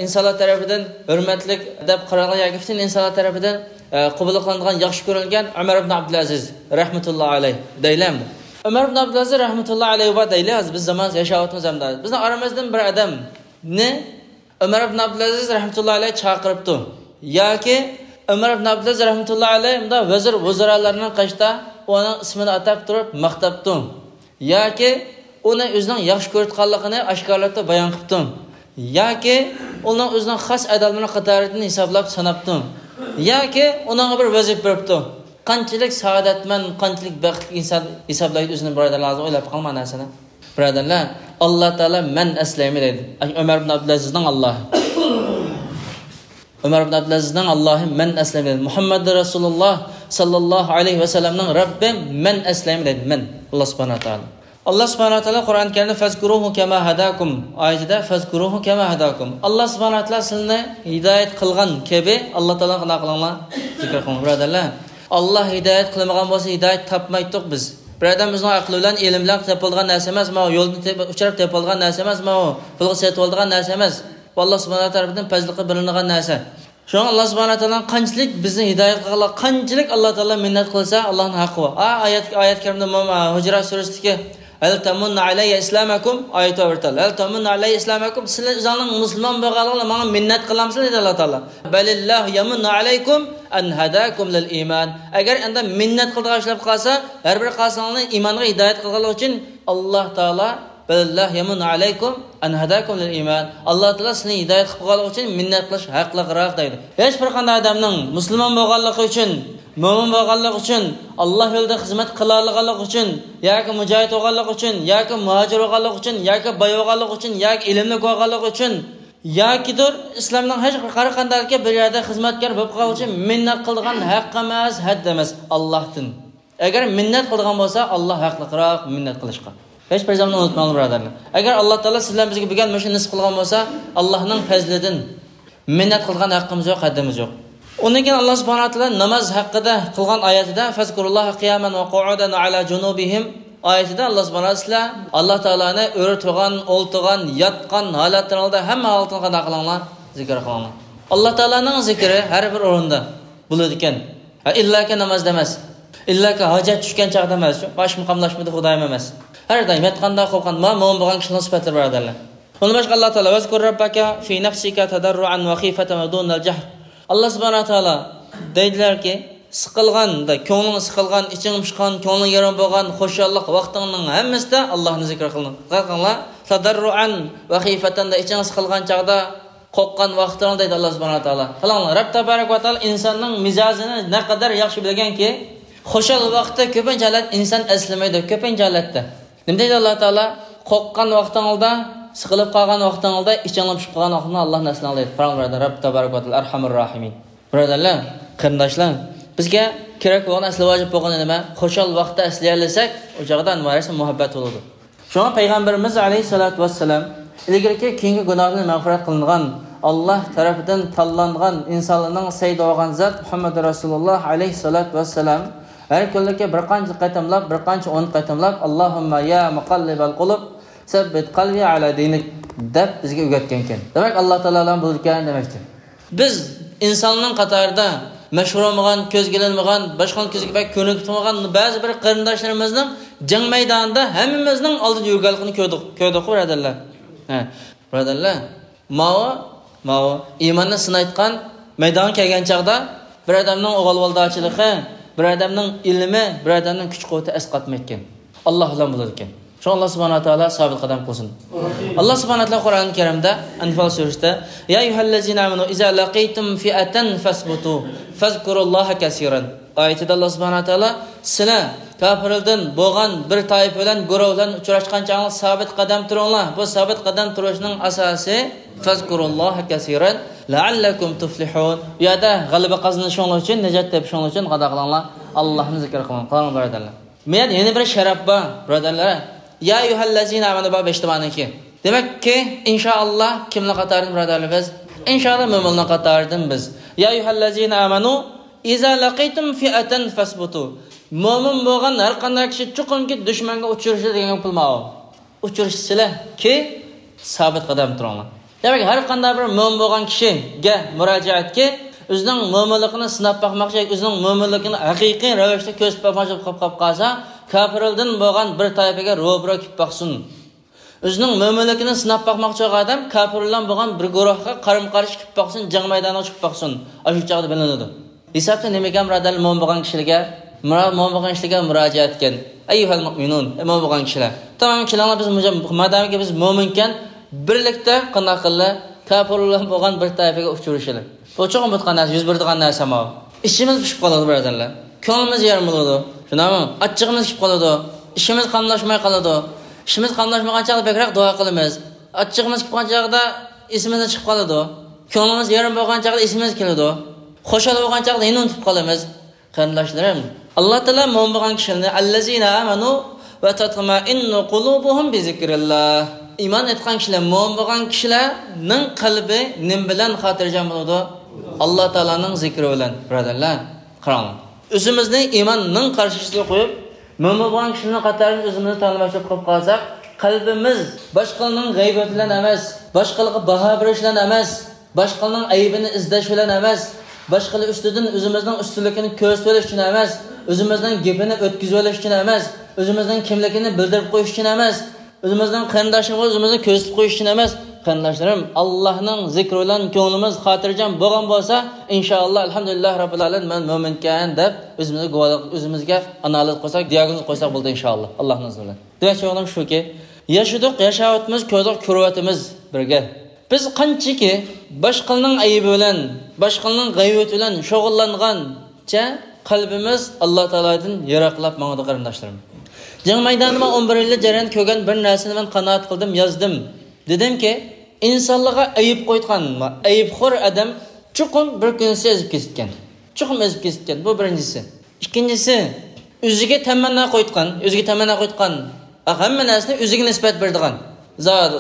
ئىنسانلار تەرىپىدىن ھۆرمەتلىك دەپ قارالغان ياكى پۈتۈن ئىنسانلار تەرىپىدىن، ئە، قوبۇل قىلىنىدىغان ياخشى كۆرۈلگەن ئۆمەر ئىبن ئابدۇلئەزىز رەھمەتۇللا ئەلەيھ دەيلى ئەمدى. ئۆمەر ئىبن ئابدۇلئەزىز رەھمەتۇللا ئەلەيھ بار دەيلى، ھازىر بىز زامانىمىزدا ياشاۋاتىمىز ئەمدى. بىزنىڭ ئارىمىزدىن بىر ئادەمنى ئۆمەر ئىبن ئابدۇلئەزىز رەھمەتۇللا ئەلەيھ چاقىرىپتۇ. ياكى ئۆمەر ئىبن ئابدۇلئەزىز رەھمەتۇللا ئەلەيھ مۇنداق ۋەزىر ۋۇزرالارنىڭ قېشىدا ئۇنىڭ ئىسمىنى ئاتاپ تۇرۇپ ماختاپتۇ. ياكى ئۇنى ئۆزىنىڭ ياخشى كۆرۈۋاتقانلىقىنى ئاشكارىلاپتۇ، بايان قىپتۇ. ياكى ئۇنىڭ ئۆزىنىڭ خاس ئادەملىرىنىڭ قاتارىدىن ھېسابلاپ ساناپتۇ. ياكى ئۇنىڭغا بىر ۋەزىپە بېرىپتۇ. قانچىلىك سائادەتمەن، قانچىلىك بەختلىك ئىنسان ھېسابلايدۇ ئۆزىنى، بۇرادەرلەر، ھازىر ئويلاپ بېقىڭ مانا نەرسىنى. بۇرادەرلەر، ئاللا تائالا مەن ئەسلەيمەن دەيدۇ. ئۆمەر ئىبن ئابدۇلئەزىزنىڭ ئاللاھى. ئۆمەر ئىبن ئابدۇلئەزىزنىڭ ئاللاھى مەن ئەسلەيمەن دەيدۇ. مۇھەممەدۇر رەسۇلۇللا ساللاللاھۇ ئەلەيھى ۋەسەللەمنىڭ رەببى مەن ئەسلەيمەن دەيدۇ. مەن. ئاللا سۇبھانەھۇ ۋە تائالا. ئاللا سۇبھانەھۇ ۋە تائالا قۇرئان كەرىمدە فەزكۇرۇھۇ كەما ھەداكۇم ئايىتىدە فەزكۇرۇھۇ كەما ھەداكۇم. ئاللا سۇبھانەھۇ ۋە تائالا سىلىنى ھىدايەت قىلغان كەبى ئاللا تائالا قانداق قىلىڭلار؟ زىكىر قىلىڭلار، بۇرادەرلەر. ئاللا ھىدايەت قىلمىغان بولسا، ھىدايەت تاپمايتتۇق بىز. بىر ئادەم ئۆزىنىڭ ئەقلى بىلەن، ئىلمى بىلەن تېپىلىدىغان نەرسە ئەمەس، ماۋۇ يولدىن تېپ-، ئۇچراپ تېپىلىدىغان نەرسە ئەمەس، ماۋۇ پۇلغا سېتىۋالىدىغان نەرسە ئەمەس. بۇ، ئاللا سۇبھانەھۇ ۋە تائالا تەرىپىدىن پەزلىقى بىلىنىدىغان نەرسە. شۇڭا ئاللا سۇبھانەھۇ ۋە تائالا قانچىلىك بىزنى ھىدايەت قىلغانلار، قانچىلىك ئاللا تائالا مىننەت قىلسا، ئاللانىڭ ھەققى بار. ئا، ئايەت، ئايەت كەرىمدە مۇ-، ئا، ھۇجرات سۈرىسىدىكى، «ھەل تەمۇننە ئەلەييە ئىسلامەكۇم»، ئايىتى بار بىر تال. «ھەل تەمۇننە ئەلەييە ئىسلامەكۇم»، سىلەر ئۆزۈڭلارنىڭ مۇسۇلمان بولغانلىقىڭلار ماڭا مىننەت قىلامسىلەر دەيدۇ ئاللا تائالا. «بەلىللاھۇ يەمۇننۇ ئەلەيكۇم ئەن ھەداكۇم لىل ئىمان». ئەگەر ئەندى مىننەت قىلىدىغان ئىش بولۇپ قالسا، ھەر بىر قالساڭلار ئىمانغا ھىدايەت قىلغانلىقى ئۈچۈن ئاللا تائالا، «بەلىللاھۇ يەمۇننۇ ئەلەيكۇم ئەن ھەداكۇم لىل ئىمان»، ئاللا تائالا سىلەرنى ھىدايەت قىلىپ قالغانلىقى ئۈچۈن مىننەت قىلىش ھەقلىقراق دەيدۇ. ھېچ بىر قانداق ئادەمنىڭ مۇسۇلمان بولغانلىقى ئۈچۈن، مۆمىن بولغانلىقى ئۈچۈن، ئاللا يولىدا خىزمەت قىلالىغانلىقى ئۈچۈن ياكى مۇجاھىد بولغانلىقى ئۈچۈن ياكى مۇھاجىر بولغانلىقى ئۈچۈن ياكى باي بولغانلىقى ئۈچۈن ياكى ئىلىملىك بولغانلىقى ئۈچۈن ياكىدۇر ئىسلامنىڭ ھەر قانداق بىر يەردە خىزمەتكار بولۇپ قالغان ئۈچۈن مىننەت قىلىدىغان ھەق ئەمەس، ھەد ئەمەس، ئاللاھتىن. ئەگەر مىننەت قىلىدىغان بولسا، ئاللا ھەقلىقراق مىننەت قىلىشقا. ھېچ بىر زاماندا ئۇنتۇماڭلار، بۇرادەرلەر. ئەگەر ئاللا تائالا سىز بىلەن بىزگە بۈگۈن مۇشۇ نېسىپ قىلغان بولسا، ئاللانىڭ پەزلىدىن. مىننەت قىلىدىغان ھەققىمىز يوق، ھەددىمىز يوق. ئۇندىن كېيىن ئاللا سۇبھانەھۇ ۋە تائالا ناماز ھەققىدە قىلغان ئايەتىدە، «فەزكۇرۇللاھە قىيامەن ۋە قۇئۇدەن ۋە ئەلا جۇنۇبىھىم» ئايىتىدە ئاللا سۇبھانەھۇ ۋە تائالا، ئاللا تائالانى ئۆرە تۇرغان، ئولتۇرغان، ياتقان ھالەتلىرىڭلاردا، ھەممە ھالىتىڭلاردا قانداق قىلىڭلار؟ زىكىر قىلىڭلار. ئاللا تائالانىڭ زىكرى ھەر بىر ئورۇندا بولىدىكەن. ھە، ئىللاكى نامازدا ئەمەس. ئىللاكى ھاجەت چۈشكەن چاغدا ئەمەس. باشقا مۇقاملاشمىدى خۇدايىم ئەمەس. ھەر دائىم ياتقاندا، قوپقان، ما مۆمىن بولغان كىشىنىڭ سۈپەتلىرى، بۇرادەرلەر. ئون بەش، ئاللا تائالا، «ۋەزكۇر رەببەكە فى نەفسىكە تەدەررۇئەن ۋە خىفەتەن ۋە دۇنەل جەھر». ئاللا سۇبھانەھۇ ۋە تائالا دەيدىلەركى، سىقىلغان، كۆڭلۈڭ سىقىلغان، ئىچىڭ پۇشقان، كۆڭلۈڭ يېرىم بولغان، خۇشاللىق ۋاقتىڭنىڭ ھەممىسىدە ئاللانى زىكىر قىلىڭ. قىلىڭلار. تەدەررۇئەن ۋە خىفەتەن، ئىچىڭ سىقىلغان چاغدا، قورققان ۋاقتىڭلار دەيدۇ ئاللا سۇبھانەھۇ ۋە تائالا. قاراڭلار، رەب تەبارەك ۋە تائالا ئىنساننىڭ مىجەزىنى نەقەدەر ياخشى بىلگەنكى، خۇشال ۋاقىتتا كۆپىنچە ھالەت ئىنسان ئەسلىمەيدۇ، كۆپىنچە ھالەتتە. نېمە دەيدۇ ئاللا تائالا؟ قورققان ۋاقتىڭلاردا، سىقىلىپ قالغان ۋاقتىڭلاردا، ئىچىڭلار پۇشۇپ قالغان ۋاقتىڭلاردا ئاللانى ئەسلەڭلار دەيدۇ. قاراڭلار، بۇرادەر، رەب تەبارەك ۋە تائالا ئەرھەمۇر راھىمىن. بۇرادەرلەر، قېرىنداشلار، بىزگە كېرەك بولغان، ئەسلى ۋاجىپ بولغىنى نېمە؟ خۇشال ۋاقىتتا ئەسلىيەلىسەك، ئۇ چاغدا ھەممە نەرسە مۇھەببەت بولىدۇ. شۇڭا پەيغەمبىرىمىز ئەلەيھىسسالاتۇ ۋەسسالام ئىلگىرىكى، كېيىنكى گۇناھلىرى مەغپىرەت قىلىنغان، ئاللا تەرىپىدىن تاللانغان ئىنسانلارنىڭ سەيدى بولغان زات مۇھەممەد رەسۇلۇللا ئەلەيھىسسالاتۇ ۋەسسالام ھەر كۈنلۈككە بىر قانچە قېتىملاپ، بىر قانچە ئون قېتىملاپ، «ئاللاھۇممە يا مۇقەللىبەل قۇلۇب، سەببىت قەلبى ئەلا دىنىك» دەپ بىزگە ئۆگەتكەنكەن. دېمەك، ئاللا تائالا بىلىدىكەن دېمەكتۇر. بىز ئىنساننىڭ قاتارىدا مەشھۇر بولمىغان، كۆزگە ئىلىنمىغان، باشقىنىڭ كۆزىگە بەك كۆرۈنۈپ تۇرمىغان بەزى بىر قېرىنداشلىرىمىزنىڭ جەڭ مەيدانىدا ھەممىمىزنىڭ ئالدىدا يۈرگەنلىكىنى كۆردۇق، كۆردۇققۇ، بۇرادەرلەر. ھە، بۇرادەرلەر، ماۋۇ، ماۋۇ ئىماننى سىنايدىغان مەيدانغا كەلگەن چاغدا، بىر ئادەمنىڭ ئۇغالۋالداچىلىقى، بىر ئادەمنىڭ ئىلمى، بىر ئادەمنىڭ كۈچ-قۇۋۋىتى ئەسقاتمايدىكەن. ئاللا بىلەن بولىدىكەن. شۇڭا ئاللا سۇبھانەھۇ ۋە تائالا سابىت قەدەم قىلسۇن. ئاللا سۇبھانەھۇ ۋە تائالا قۇرئان كەرىمدە ئەنفال سۈرىسىدە، «يا أيها الذين آمنوا إذا لقيتم فئة فاثبتوا واذكروا الله كثيرا» ئايىتىدە ئاللا سۇبھانەھۇ ۋە تائالا، «سىلەر كاپىرلاردىن بولغان بىر تائىپە بىلەن، گۇرۇھ بىلەن ئۇچراشقان چاغىڭلار سابىت قەدەم تۇرۇڭلار. بۇ سابىت قەدەم تۇرۇشنىڭ ئاساسى، فاذكروا الله كثيرا لعلكم تفلحون. بۇ يەردە غەلىبە قازىنىشىڭلار ئۈچۈن، نەجات تېپىشىڭلار ئۈچۈن قانداق قىلىڭلار؟ ئاللانى زىكىر قىلىڭ، قىلىڭلار، بۇرادەرلەر.» مەيەن يەنە بىر شەرەپ بار، بۇرادەرلەر. يا أيها الذين آمنوا بار بېشىدا باركەن. دېمەككى، ئىنشائاللا، كىملەر قاتارىدىن، بۇرادەرلەر، بىز؟ ئىنشائاللا، مۆمىنلەر قاتارىدىن بىز. يا أيها الذين آمنوا إذا لقيتم فئة فاثبتوا. مۆمىن بولغان ھەر قانداق كىشى چوقۇمكى دۈشمەنگە ئۇچرىشىدۇ دېگەن گەپ ماۋۇ. ئۇچرىشىسىلەركى، سابىت قەدەم تۇرۇڭلار. دېمەك، ھەر قانداق بىر مۆمىن بولغان كىشىگە مۇراجىئەتكى، ئۆزىنىڭ مۆمىنلىكىنى سىناپ باقماقچى، ئۆزىنىڭ مۆمىنلىكىنى ھەقىقىي رەۋىشتە كۆرسىتىپ باقماقچى بولۇپ قاپ-، قاپ قالسا، كاپىرلاردىن بولغان بىر تائىپىگە روبىرو كېلىپ باقسۇن. ئۆزىنىڭ مۆمىنلىكىنى سىناپ باقماقچى بولغان ئادەم كاپىرلار بىلەن بولغان بىر گۇرۇھقا قارىمۇ قارشى كېلىپ باقسۇن، جەڭ مەيدانىغا چىقىپ باقسۇن. ئاشۇ چاغدا بىلىنىدۇ. ھېسابتا نېمىكەن، بۇرادەرلەر، مۆمىن بولغان كىشىلەرگە، مۇرا-، مۆمىن بولغان كىشىلەرگە مۇراجىئەت ئەتكەن. ئەييۇھەل مۇئمىنۇن، ئەي مۆمىن بولغان كىشىلەر. تامام، كېلىڭلار، بىز مۇجا-، مادامكى بىز مۆمىنكەن، بىرلىكتە قانداق قىلىلى؟ كاپىرلار بىلەن بولغان بىر تائىپىگە ئۇچرىشىلى. بۇ چوقۇم بولىدىغان نەرسە، يۈز بېرىدىغان نەرسە ماۋۇ. ئىچىمىز پۇشۇپ قالىدۇ، بۇرادەرلەر. كۆڭلىمىز يېرىم بولىدۇ. شۇنداقمۇ؟ ئاچچىقىمىز كېلىپ قالىدۇ. ئىچىمىز قاملاشماي قالىدۇ. ئىچىمىز قاملاشمىغان چاغدا بەكرەك دۇئا قىلىمىز. ئاچچىقىمىز كېلىپ قالغان چاغدا ئېسىمىزدىن چىقىپ قالىدۇ. كۆڭلىمىز يېرىم بولغان چاغدا ئېسىمىز كېلىدۇ. خۇشال بولغان چاغدا يەنە ئۇنتۇپ قالىمىز. قېرىنداشلىرىم، ئاللا تائالا مۆمىن بولغان كىشىلەرنى، «ئەللەزىنە ئامەنۇ ۋە تەتمەئىننۇ قۇلۇبۇھۇم بىزىكرىللا.» ئىمان ئېيتقان كىشىلەر، مۆمىن بولغان كىشىلەرنىڭ قەلبى نېمە بىلەن خاتىرجەم بولىدۇ؟ ئاللا تائالانىڭ زىكرى بىلەن، بۇرادەرلەر. قاراڭلار. ئۆزىمىزنى ئىماننىڭ قارشىسىغا قويۇپ، مۆمىن بولغان كىشىنىڭ قاتارىدىن ئۆزىمىزنى تاللىماقچى قىلىپ قالساق، قەلبىمىز باشقىلارنىڭ غەيۋىتى بىلەن ئەمەس، باشقىلارغا باھا بېرىش بىلەن ئەمەس، باشقىلارنىڭ ئەيىبىنى ئىزدەش بىلەن ئەمەس، باشقىلار ئۈستىدىن ئۆزىمىزنىڭ ئۈستۈنلۈكىنى كۆرسىتىۋېلىش ئۈچۈن ئەمەس، ئۆزىمىزنىڭ گېپىنى ئۆتكۈزۈۋېلىش ئۈچۈن ئەمەس، ئۆزىمىزنىڭ كىملىكىنى بىلدۈرۈپ قويۇش ئۈچۈن ئەمەس، ئۆزىمىزنىڭ قېرىنداشلىرىمىزغا ئۆزىمىزنى كۆرسىتىپ قويۇش ئۈچۈن ئەمەس، قېرىنداشلىرىم، ئاللاھنىڭ زىكرى بىلەن كۆڭلىمىز خاتىرجەم بولغان بولسا، ئىنشائاللا، ئەلھەمدۇلىللاھ رەببىل ئالەمىن، مەن مۆمىنكەن دەپ ئۆزىمىزگە گۇۋاھلىق، ئۆزىمىزگە ئانالىز قويساق، دىئاگنوز قويساق بولدى، ئىنشائاللا، ئاللاھنىڭ ئىزنى بىلەن. دېمەكچى بولغىنىم شۇكى، ياشىدۇق، ياشاۋاتىمىز، كۆردۇق، كۆرۈۋاتىمىز بىرگە. بىز قانچىكى باشقىلارنىڭ ئەيىبى بىلەن، باشقىلارنىڭ غەيۋىتى بىلەن شۇغۇللانغانچە، قەلبىمىز ئاللا تائالادىن يىراقلاپ ماڭىدۇ، قېرىنداشلىرىم. جەڭ مەيدانىدا مەن ئون بىر يىللىق جەرياندا كۆرگەن بىر نەرسىنى مەن قانائەت قىلدىم، يازدىم. دېدىمكى، ئىنسانلارغا ئەيىب قويىدىغان، ئەيىبخور ئادەم چوقۇم بىر كۈنسى ئېزىپ كېتىدىكەن. چوقۇم ئېزىپ كېتىدىكەن. بۇ بىرىنچىسى. ئىككىنچىسى، ئۆزىگە تەمەننا قويۇتقان، ئۆزىگە تەمەننا قويۇتقان، ھەممە نەرسىنى ئۆزىگە نىسبەت بېرىدىغان. زادى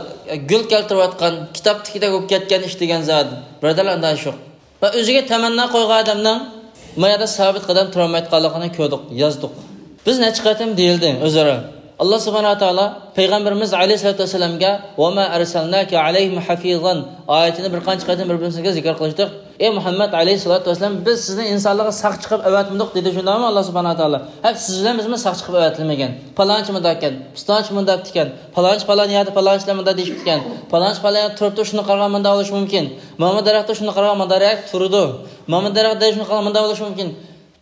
گۈل كەلتۈرۈۋاتقان، كىتابتىكىدەك بولۇپ كەتكەن ئىش دېگەن زادى. بۇرادەرلەر، ئانداق ئىش يوق. ۋە ئۆزىگە تەمەننا قويغان ئادەمنىڭ ما يەردە سابىت قەدەم تۇرالمايدىغانلىقىنى كۆردۇق، يازدۇق. بىز نەچچە قېتىم دېيىلدى ئۆزئارا. ئاللا سۇبھانەھۇ ۋە تائالا پەيغەمبىرىمىز ئەلەيھىسسالاتۇ ۋەسسالامغا «ۋەما ئەرسەلناكە ئەلەيھىم ھەفىزەن» ئايىتىنى بىر قانچە قېتىم بىر-بىرىمىزگە زىكىر قىلىشتۇق. «ئەي مۇھەممەد ئەلەيھىسسالاتۇ ۋەسسالام، بىز سىزنى ئىنسانلارغا ساقچى قىلىپ ئەۋەتمىدۇق» دېدى، شۇنداقمۇ ئاللا سۇبھانەھۇ ۋە تائالا؟ ھەپ سىز بىلەن بىزمۇ ساقچى قىلىپ ئەۋەتىلمىگەن. پالانچى مۇنداق ئىكەن، پۇستانچى مۇنداق دېگەن، پالانچى پالان يەردە پالانچىلار مۇنداق دېيىشىپتىكەن، پالانچى پالان يەردە تۇرۇپتۇ، شۇنى قارىغان مۇنداق بولۇشى مۇمكىن، مانا بۇ دەرەختە شۇنى قارىغان مۇنداق دەرەخ تۇرىدۇ، مانا بۇ دەرەخ دەل شۇنى قارىغان مۇنداق بولۇشى مۇمكىن.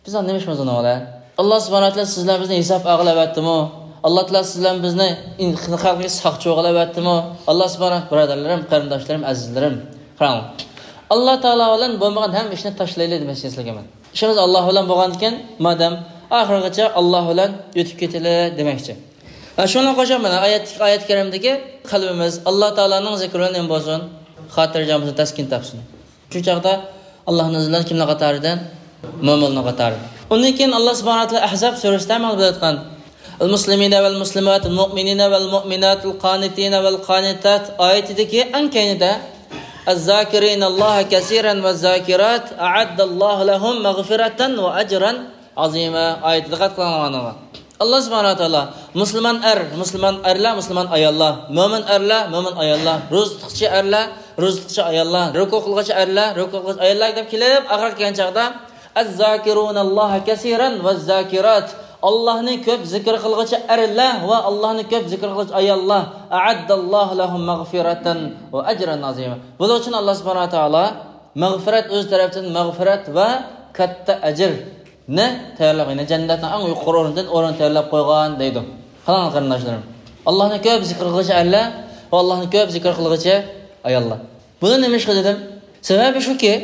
بىز ئاندىن نېمە ئىشىمىز ئۇنىڭ بىلەن؟ ئاللا سۇبھانەھۇ ۋە تائالا سىز بىلەن بىزنى ھېساب ئالغىلى ئەۋەتتىمۇ؟ ئاللا تائالا سىز بىلەن بىزنى خەلقىگە ساقچى بولغىلى ئەۋەتتىمۇ؟ ئاللا سۇبھانەھۇ، بۇرادەرلىرىم، قېرىنداشلىرىم، ئەزىزلىرىم، قاراڭ، ئاللا تائالا بىلەن بولمىغان ھەممە ئىشنى تاشلايلى دېمەكچى سىلەرگە مەن. ئىشىمىز ئاللا بىلەن بولغاندىكىن، مادەم ئاخىرغىچە ئاللا بىلەن ئۆتۈپ كېتىلى دېمەكچى. ھە، شۇنىڭغا قوشۇپ مانا ئايەت، ئايەت كەرىمدىكى قەلبىمىز ئاللا تائالانىڭ زىكرى بىلەن نېمە بولسۇن؟ خاتىرجەم بولسۇن، تەسكىن تاپسۇن. شۇ چاغدا ئاللانىڭ ئىزنى بىلەن كىملەر قاتارىدىن؟ مۆمىنلەر قاتارىدىن. ئۇندىن كېيىن ئاللا سۇبھانەھۇ ۋە تائالا ئەھزاب سۈرىسىدە مانا بىلىۋاتقان، المسلمين والمسلمات، المؤمنين والمؤمنات، القانتين والقانتات ئايىتىدىكى ئەڭ كەينىدە، الذاكرين الله كثيرا والذاكرات أعد الله لهم مغفرة وأجرا عظيما ئايىتىدە قەتئىي قىلىنغان. ئاللا سۇبھانەھۇ ۋە تائالا مۇسۇلمان ئەر، مۇسۇلمان ئەرلەر، مۇسۇلمان ئاياللار، مۆمىن ئەرلەر، مۆمىن ئاياللار، روزا تۇتقۇچى ئەرلەر، روزا تۇتقۇچى ئاياللار، رۇكۇ قىلغۇچى ئەرلەر، رۇكۇ قىلغۇچى ئاياللار دەپ كېلىپ، ئاخىرغا كەلگەن چاغدا، الذاكرون الله كثيرا والذاكرات، ئاللانى كۆپ زىكىر قىلغۇچى ئەرلەر ۋە ئاللانى كۆپ زىكىر قىلغۇچى ئاياللار، أعد الله لهم مغفرة وأجرا عظيما. بۇلار ئۈچۈن ئاللا سۇبھانەھۇ ۋە تائالا مەغپىرەت، ئۆز تەرەپتىن مەغپىرەت ۋە كاتتا ئەجىرنى تەييارلاپ، يەنى جەننەتنىڭ ئەڭ يۇقىرى ئورنىدىن ئورۇن تەييارلاپ قويغان دەيدۇ. قاراڭ قېرىنداشلىرىم، ئاللانى كۆپ زىكىر قىلغۇچى ئەرلەر ۋە ئاللانى كۆپ زىكىر قىلغۇچى ئاياللار. بۇنى نېمە ئىشقا دېدىم؟ سەۋەبى شۇكى،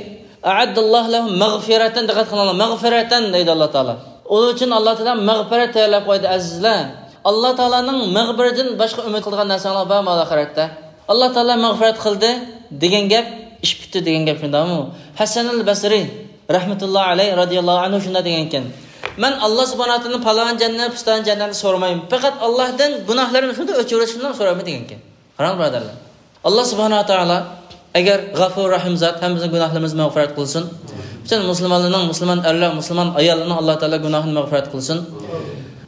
أعد الله لهم مغفرة، دىققەت قىلىڭلار، مەغپىرەتەن دەيدۇ ئاللا تائالا. ئۇلار ئۈچۈن ئاللا تائالا مەغپىرەت تەييارلاپ قويدى، ئەزىزلەر. ئاللا تائالانىڭ مەغپىرىتىدىن باشقا ئۈمىد قىلىدىغان نەرسەڭلار بارمۇ ئاخىرەتتە؟ ئاللا تائالا مەغپىرەت قىلدى دېگەن گەپ ئىش پۈتتى دېگەن گەپ شۇنداقمۇ؟ ھەسەنۇل بەسرى رەھمەتۇللا ئەلەيھ رەزىياللاھۇ ئەنھۇ شۇنداق دېگەنكەن، مەن ئاللا سۇبھانەھۇ ۋە تائالادىن پالان جەننەت، پۇستان جەننەتنى سورىمايمەن، پەقەت ئاللاھتىن گۇناھلىرىمنى شۇنداق ئۆچۈرۈۋېتىشنى سورايمەن دېگەنكەن. قاراڭ بۇرادەرلەر، ئاللا سۇبھانەھۇ ۋە تائالا ئەگەر غەفۇر رەھىم زات، ھەممىمىزنىڭ گۇناھلىرىمىزنى مەغپىرەت قىلسۇن. پۈتۈن مۇسۇلمانلارنىڭ، مۇسۇلمان ئەرلەر، مۇسۇلمان ئاياللارنىڭ ئاللا تائالا گۇناھىنى مەغپىرەت قىلسۇن.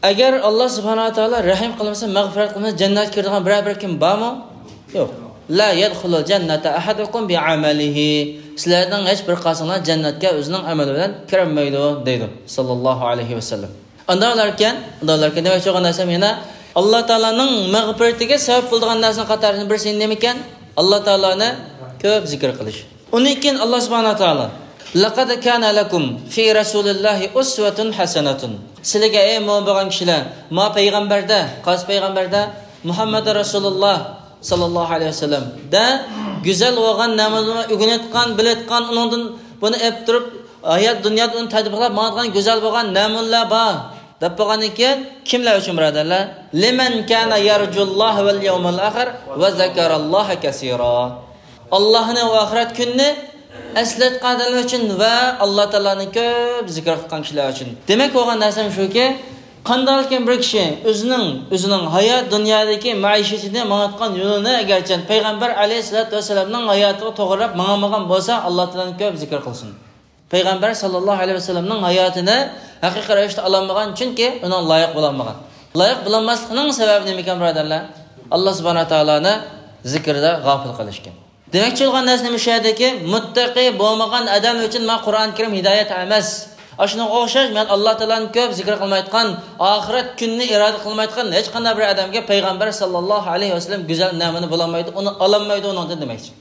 ئەگەر ئاللا سۇبھانەھۇ ۋە تائالا رەھىم قىلمىسا، مەغپىرەت قىلمىسا، جەننەتكە كىرىدىغان بىرەر بىر كىم بارمۇ؟ يوق. لا يدخل الجنة أحدكم بعمله. سىلەرنىڭ ھېچ بىر قاسىڭلار جەننەتكە ئۆزىنىڭ ئەمىلى بىلەن كىرەلمەيدۇ دەيدۇ، ساللاللاھۇ ئەلەيھى ۋەسەللەم. ئانداقلاركەن، ئانداقلاركەن دېمەكچى بولغان نەرسەم يەنە ئاللا تائالانىڭ مەغپىرىتىگە سەۋەب بولىدىغان نەرسىنىڭ قاتارىدىن بىرسى نېمىكەن؟ ئاللا تائالانى كۆپ زىكىر قىلىش. ئۇنىڭ كېيىن ئاللا سۇبھانەھۇ ۋە تائالا، لقد كان لكم في رسول الله أسوة حسنة. سىلىگە، ئەي مۆمىن بولغان كىشىلەر، ما پەيغەمبەردە، قايسى پەيغەمبەردە؟ مۇھەممەد رەسۇلۇللا ساللاللاھۇ ئەلەيھى ۋەسەللەمدە گۈزەل بولغان نەمۇنىلەرنى ئۆگىنىۋاتقان، بىلىۋاتقان، ئۇنىڭدىن بۇنى ئېلىپ تۇرۇپ، ھايات دۇنيادا ئۇنى تەتبىقلاپ ماڭىدىغان گۈزەل بولغان نەمۇنىلەر بار دەپ بولغاندىن كېيىن، كىملەر ئۈچۈن بۇرادەرلەر؟ لمن كان يرجو الله واليوم الآخر وذكر الله كثيرا. ئاللاھنى ۋە ئاخىرەت كۈنىنى ئەسلەتكەن ئادەملەر ئۈچۈن ۋە ئاللا تائالانى كۆپ زىكىر قىلغان كىشىلەر ئۈچۈن. دېمەك بولغان نەرسەم شۇكى، قانداقكىن بىر كىشى ئۆزىنىڭ، ئۆزىنىڭ ھايات دۇنيادىكى مەئىشىتىنى ماڭىدىغان يولىنى ئەگەرچە پەيغەمبەر ئەلەيھىسسالاتۇ ۋەسسالامنىڭ ھاياتىغا توغرىلاپ ماڭالمىغان بولسا، ئاللا تائالانى كۆپ زىكىر قىلسۇن. پەيغەمبەر ساللاللاھۇ ئەلەيھى ۋەسەللەمنىڭ ھاياتىنى ھەقىقىي رەۋىشتە ئالالمىغان، چۈنكى ئۇنىڭ لايىق بولالمىغان. لايىق بولالماسلىقىنىڭ سەۋەبى نېمىكەن، بۇرادەرلەر؟ ئاللا سۇبھانەھۇ تائالانى زىكرىدا غاپىل قىلىشكەن. دېمەكچى بولغان نەرسە نېمە؟ شۇ يەردىكى مۇتتەقى بولمىغان ئادەم ئۈچۈن مانا قۇرئان كەرىم ھىدايەت ئەمەس. ئاشۇنىڭغا ئوخشاش، مەن ئاللا تائالانى كۆپ زىكىر قىلمايدىغان، ئاخىرەت كۈنىنى ئىرادە قىلمايدىغان ھېچقانداق بىر ئادەمگە پەيغەمبەر ساللاللاھۇ ئەلەيھى ۋەسەللەم گۈزەل نەمۇنە بولالمايدۇ، ئۇنى ئالالمايدۇ ئۇنىڭدىن دېمەكچى.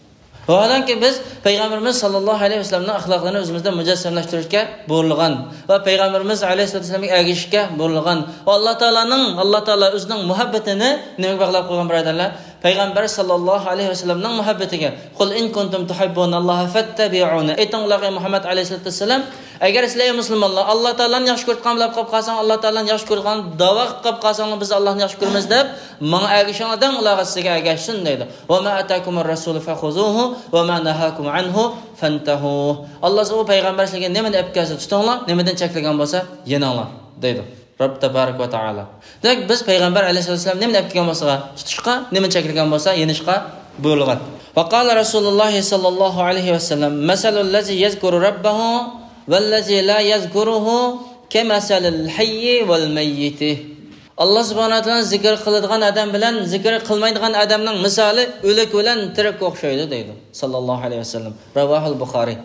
ۋاھالەنكى، بىز پەيغەمبىرىمىز ساللاللاھۇ ئەلەيھى ۋەسەللەمنىڭ ئەخلاقلىرىنى ئۆزىمىزدە مۇجەسسەملەشتۈرۈشكە بۇيرۇلغان ۋە پەيغەمبىرىمىز ئەلەيھىسسالاتۇ ۋەسسالامغا ئەگىشىشكە بۇيرۇلغان ۋە ئاللا تائالانىڭ، ئاللا تائالا ئۆزىنىڭ مۇھەببىتىنى نېمىگە باغلاپ قويغان، بۇرادەرلەر؟ پەيغەمبەر ساللاللاھۇ ئەلەيھى ۋەسەللەمنىڭ مۇھەببىتىگە. قۇل ئىن كۇنتۇم تۇھىببۇناللاھە فەتتەبىئۇنى. ئېيتىڭلار، ئەي مۇھەممەد ئەلەيھىسسالاتۇ ۋەسسالام، ئەگەر سىلەر، ئەي مۇسۇلمانلار، ئاللا تائالانى ياخشى كۆرىدىغان بولۇپ قاپ قالساڭ، ئاللا تائالانى ياخشى كۆرىدىغان داۋا قىلىپ قاپ قالساڭلار، بىز ئاللانى ياخشى كۆرىمىز دەپ، ماڭا ئەگىشىڭلار دەڭ، ئۇلارغا سىزگە ئەگەشسۇن دەيدۇ. ۋەما ئاتاكۇمۇر رەسۇلۇ فەخۇزۇھۇ ۋەما نەھاكۇم ئەنھۇ فەنتەھۇ. ئاللا سىزگە، ئۇ پەيغەمبەر سىزگە نېمىنى ئەپ كەلسە تۇتۇڭلار، نېمىدىن چەكلىگەن بولسا يېنىڭلار دەيدۇ رەب تەبارەك ۋە تائالا. دېمەك، بىز پەيغەمبەر ئەلەيھىسسالام نېمىنى ئەپ كەلگەن بولسا تۇتۇشقا، نېمىنى چەكلىگەن بولسا يېنىشقا بۇيرۇلغان. ۋەقالە رەسۇلۇللاھى ساللاللاھۇ ئەلەيھى ۋەسەللەم، مەسەلۇللەزى يەزكۇرۇ رەببەھۇ ۋەللەزى لا يەزكۇرۇھۇ كەمەسەلىل ھەييى ۋەل مەييىتى. ئاللا سۇبھانەھۇ ۋە تائالانى زىكىر قىلىدىغان ئادەم بىلەن زىكىر قىلمايدىغان ئادەمنىڭ مىسالى ئۆلۈك بىلەن تىرىككە ئوخشايدۇ دەيدۇ ساللاللاھۇ ئەلەيھى ۋەسەللەم. رەۋاھۇل بۇخارىي.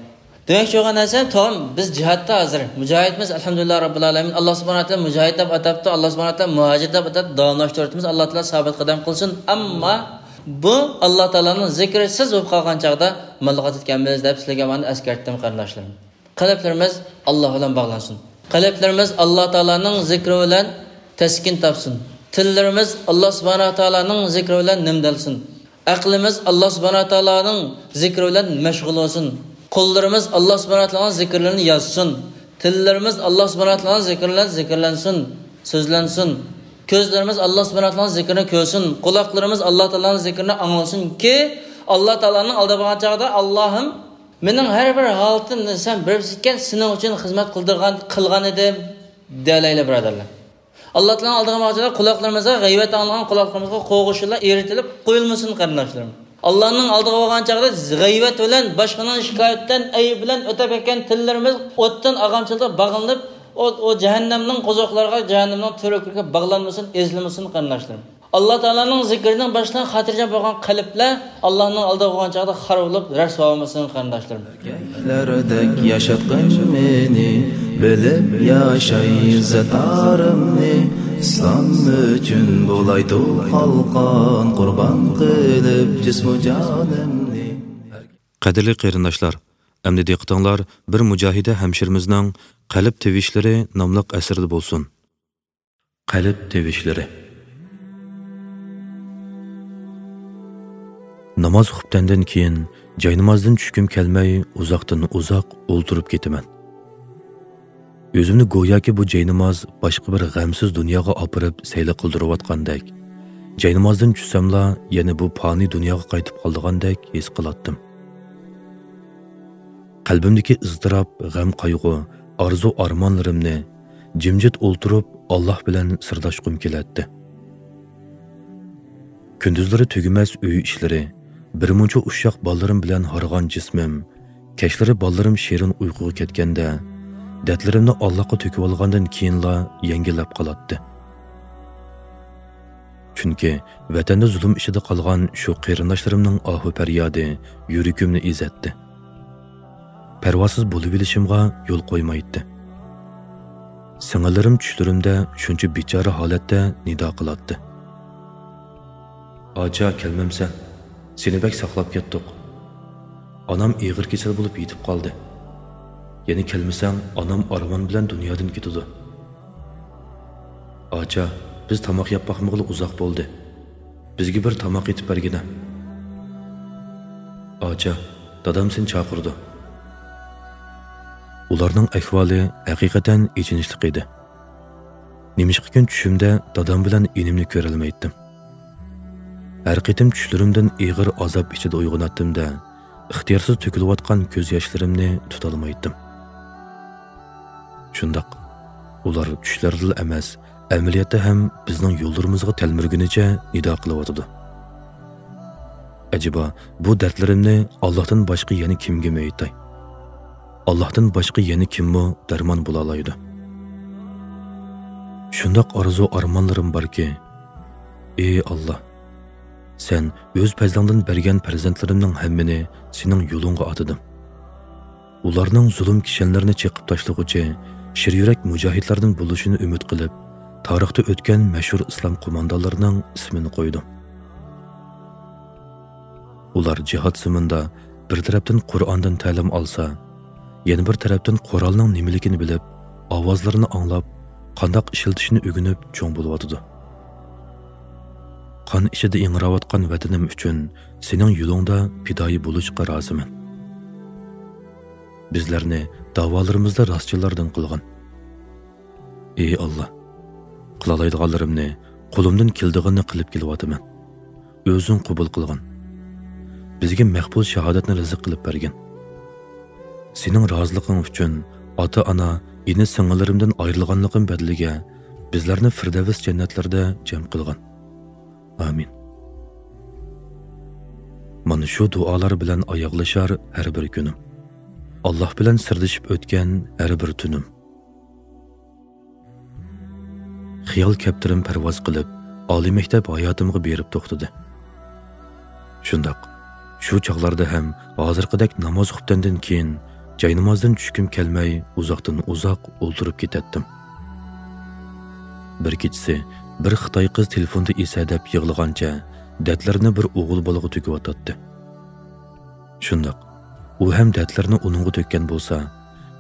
دېمەكچى بولغان نەرسە، تامام بىز جىھادتا ھازىر. مۇجاھىدىمىز ئەلھەمدۇلىللا رەببىل ئالەمىن. ئاللا سۇبھانەھۇ ۋە تائالا مۇجاھىد دەپ ئاتاپتۇ، ئاللا سۇبھانەھۇ ۋە تائالا مۇھاجىر دەپ ئاتاپتۇ، دالاملاشتۇرۇۋاتىمىز، ئاللا تائالا سابىت قەدەم قىلسۇن. ئەمما بۇ ئاللا تائالانىڭ زىكرىسىز بولۇپ قالغان چاغدا ماللىغا تۇتۇپ كەلمەيمىز دەپ سىلەرگە مانا ئەسكەرتتىم، قېرىنداشلىرىم. قەلبلىرىمىز ئاللا بىلەن باغلانسۇن. قەلبلىرىمىز ئاللا تائالانىڭ زىكرى بىلەن تەسكىن تاپسۇن. تىللىرىمىز ئاللا سۇبھانەھۇ ۋە تائالانىڭ زىكرى بىلەن نەمدەلسۇن. ئەقلىمىز ئاللا سۇبھانەھۇ ۋە تائالانىڭ زىكرى بىلەن مەشغۇل بولسۇن. قوللىرىمىز ئاللا سۇبھانەھۇ ۋە تائالانىڭ زىكىرلىرىنى يازسۇن. تىللىرىمىز ئاللا سۇبھانەھۇ ۋە تائالانىڭ زىكرى بىلەن زىكىرلەنسۇن، سۆزلەنسۇن. كۆزلىرىمىز ئاللا سۇبھانەھۇ ۋە تائالانىڭ زىكرىنى كۆرسۇن. قۇلاقلىرىمىز ئاللا تائالانىڭ زىكرىنى ئاڭلىسۇنكى، ئاللا تائالانىڭ ئالدىغا بارغان چاغدا، ئاللاھىم، مېنىڭ ھەر بىر ھالىتىمنى سەن بىلىسەنكەن، سېنىڭ ئۈچۈن خىزمەت قىلدۇرغان، قىلغان ئىدىم، دېيەلەيلى، بۇرادەرلەر. ئاللا تائالانىڭ ئالدىغا بارغان چاغدا قۇلاقلىرىمىزغا غەيۋەت ئاڭلىغان قۇلاقلىرىمىزغا قوغۇشلا ئېرىتىلىپ قويۇلمىسۇن، قېرىنداشلىرىم. ئاللانىڭ ئالدىغا بارغان چاغدا غەيۋەت بىلەن، باشقىنىڭ شىكايىتىدىن، ئەيىب بىلەن ئۆتەپ كەتكەن تىللىرىمىز ئوتتىن ئالغان چاغدا باغلىنىپ، ئۇ، ئۇ جەھەننەمنىڭ قوزۇقلىرىغا، جەھەننەمنىڭ تۈۋرۈكلىرىگە باغلانمىسۇن، ئېزىلمىسۇن، قېرىنداشلىرىم. ئاللا تائالانىڭ زىكرىدىن باشلىنىپ خاتىرجەم بولغان قەلبلەر ئاللانىڭ ئالدىغا بارغان چاغدا خار بولۇپ، رەسۋا بولمىسۇن، قېرىنداشلىرىم. ئەركەكلەردەك ياشاتقىن مېنى، بىلىپ ياشاي زاتارىمنى، ئىسلام ئۈچۈن بولايتۇ قالقان، قۇربان قىلىپ جىسمۇ جانىمنى. قەدىرلىك قېرىنداشلار، ئەمدى دىققىتىڭلار بىر مۇجاھىدە ھەمشىرىمىزنىڭ قەلب تىۋىشلىرى ناملىق ئەسىرىدە بولسۇن. قەلب تىۋىشلىرى. ناماز خۇپتەندىن كېيىن جاينامازدىن چۈشكۈم كەلمەي، ئۇزاقتىن ئۇزاق ئولتۇرۇپ كېتىمەن. ئۆزۈمنى گوياكى بۇ جايناماز باشقا بىر غەمسىز دۇنياغا ئاپىرىپ سەيلە قىلدۇرۇۋاتقاندەك، جاينامازدىن چۈشسەملا يەنە بۇ پانىي دۇنياغا قايتىپ قالىدىغاندەك ھېس قىلاتتىم. قەلبىمدىكى ئىزتىراپ، غەم-قايغۇ، ئارزۇ-ئارمانلىرىمنى جىمجىت ئولتۇرۇپ ئاللاھ بىلەن سىرداشقۇم كېلەتتى. كۈندۈزلىرى تۈگىمەس ئۆي ئىشلىرى، بىرمۇنچە ئۇششاق بالىلىرىم بىلەن ھارغان جىسمىم، كەچلىرى بالىلىرىم شېرىن ئۇيقۇغا كەتكەندە، دەردلىرىمنى ئاللاھقا تۆكۈۋالغاندىن كېيىنلا يەڭگىللەپ قالاتتى. چۈنكى ۋەتەندە زۇلۇم ئىچىدە قالغان شۇ قېرىنداشلىرىمنىڭ ئاھۇ-پەريادى يۈرىكىمنى ئېزەتتى. پەرۋاسىز بولۇۋېلىشىمغا يول قويمايتتى. سىڭىللىرىم چۈشلىرىمدە شۇنچە بىچارە ھالەتتە نىدا قىلاتتى. «ئاچا، كەلمەمسەن؟ سېنى بەك ساقلاپ كەتتۇق. ئانام ئېغىر كېسەل بولۇپ يېتىپ قالدى. يەنە كەلمىسەڭ، ئانام ئارمان بىلەن دۇنيادىن كېتىدۇ. ئاچا، بىز تاماق يەپ باقمىغىلى ئۇزاق بولدى. بىزگە بىر تاماق ئېتىپ بەرگىنە. ئاچا، دادام سېنى چاقىرىدۇ.» ئۇلارنىڭ ئەھۋالى ھەقىقەتەن ئېچىنىشلىق ئىدى. نېمىشقىكىن چۈشۈمدە دادام بىلەن ئىنىمنى كۆرەلمەيتتىم. ھەر قېتىم چۈشلىرىمدىن ئېغىر ئازاب ئىچىدە ئويغىناتتىم-دە، ئىختىيارسىز تۆكۈلۈۋاتقان كۆز ياشلىرىمنى تۇتالمايتتىم. شۇنداق، ئۇلار چۈشلەردىلا ئەمەس، ئەمەلىيەتتە ھەم بىزنىڭ يوللىرىمىزغا تەلمۈرگىنىچە نىدا قىلىۋاتىدۇ. ئەجەبا، بۇ دەردلىرىمنى ئاللاھتىن باشقا يەنە كىمگە ئېيتاي؟ ئاللاھتىن باشقا يەنە كىممۇ دەرمان بولالايدۇ؟ شۇنداق ئارزۇ-ئارمانلىرىم باركى، ئى ئاللا، سەن ئۆز پەزلىڭدىن بەرگەن پەرزەنتلىرىمنىڭ ھەممىنى سېنىڭ يولۇڭغا ئاتىدىم. ئۇلارنىڭ زۇلۇم كىشەنلىرىنى چېقىپ تاشلىغۇچى شىر يۈرەك مۇجاھىدلاردىن بولۇشىنى ئۈمىد قىلىپ، تارىختا ئۆتكەن مەشھۇر ئىسلام قوماندانلىرىنىڭ ئىسمىنى قويدۇم. ئۇلار جىھاد زېمىنىدا بىر تەرەپتىن قۇرئاندىن تەلىم ئالسا، يەنە بىر تەرەپتىن قورالنىڭ نېمىلىكىنى بىلىپ، ئاۋازلىرىنى ئاڭلاپ، قانداق ئىشلىتىشنى ئۆگىنىپ چوڭ بولۇۋاتىدۇ. قان ئىچىدە ئىڭراۋاتقان ۋەتىنىم ئۈچۈن سېنىڭ يولۇڭدا پىدائىي بولۇشقا رازىمەن. بىزلەرنى داۋالىرىمىزدا راستچىللاردىن قىلغىن. ئى ئاللا، قىلالايدىغانلىرىمنى، قولۇمدىن كېلىدىغىنىنى قىلىپ كېلىۋاتىمەن. ئۆزۈڭ قوبۇل قىلغىن. بىزگە مەقبۇل شاھادەتنى رىزىق قىلىپ بەرگىن. سېنىڭ رازىلىقىڭ ئۈچۈن ئاتا-ئانا، ئىنى-سىڭىللىرىمدىن ئايرىلغانلىقىم بەدىلىگە بىزلەرنى فىردەۋس جەننەتلىرىدە جەم قىلغىن. ئامىن. مانا شۇ دۇئالار بىلەن ئاياغلىشار ھەر بىر كۈنۈم. ئاللا بىلەن سىردىشىپ ئۆتكەن ھەر بىر تۈنۈم. خىيال كەپتىرىم پەرۋاز قىلىپ، ئالىي مەكتەپ ھاياتىمغا بېرىپ توختىدى. شۇنداق، شۇ چاغلاردا ھەم ھازىرقىدەك ناماز خۇپتەندىن كېيىن جاينامازدىن چۈشكۈم كەلمەي، ئۇزاقتىن ئۇزاق ئولتۇرۇپ كېتەتتىم. بىر كېچىسى بىر خىتاي قىز تېلېفوندا ئېسەدەپ يىغلىغانچە دەردلىرىنى بىر ئوغۇل بالىغا تۆكۈۋاتاتتى. شۇنداق، ئۇ ھەم دەردلىرىنى ئۇنىڭغا تۆككەن بولسا،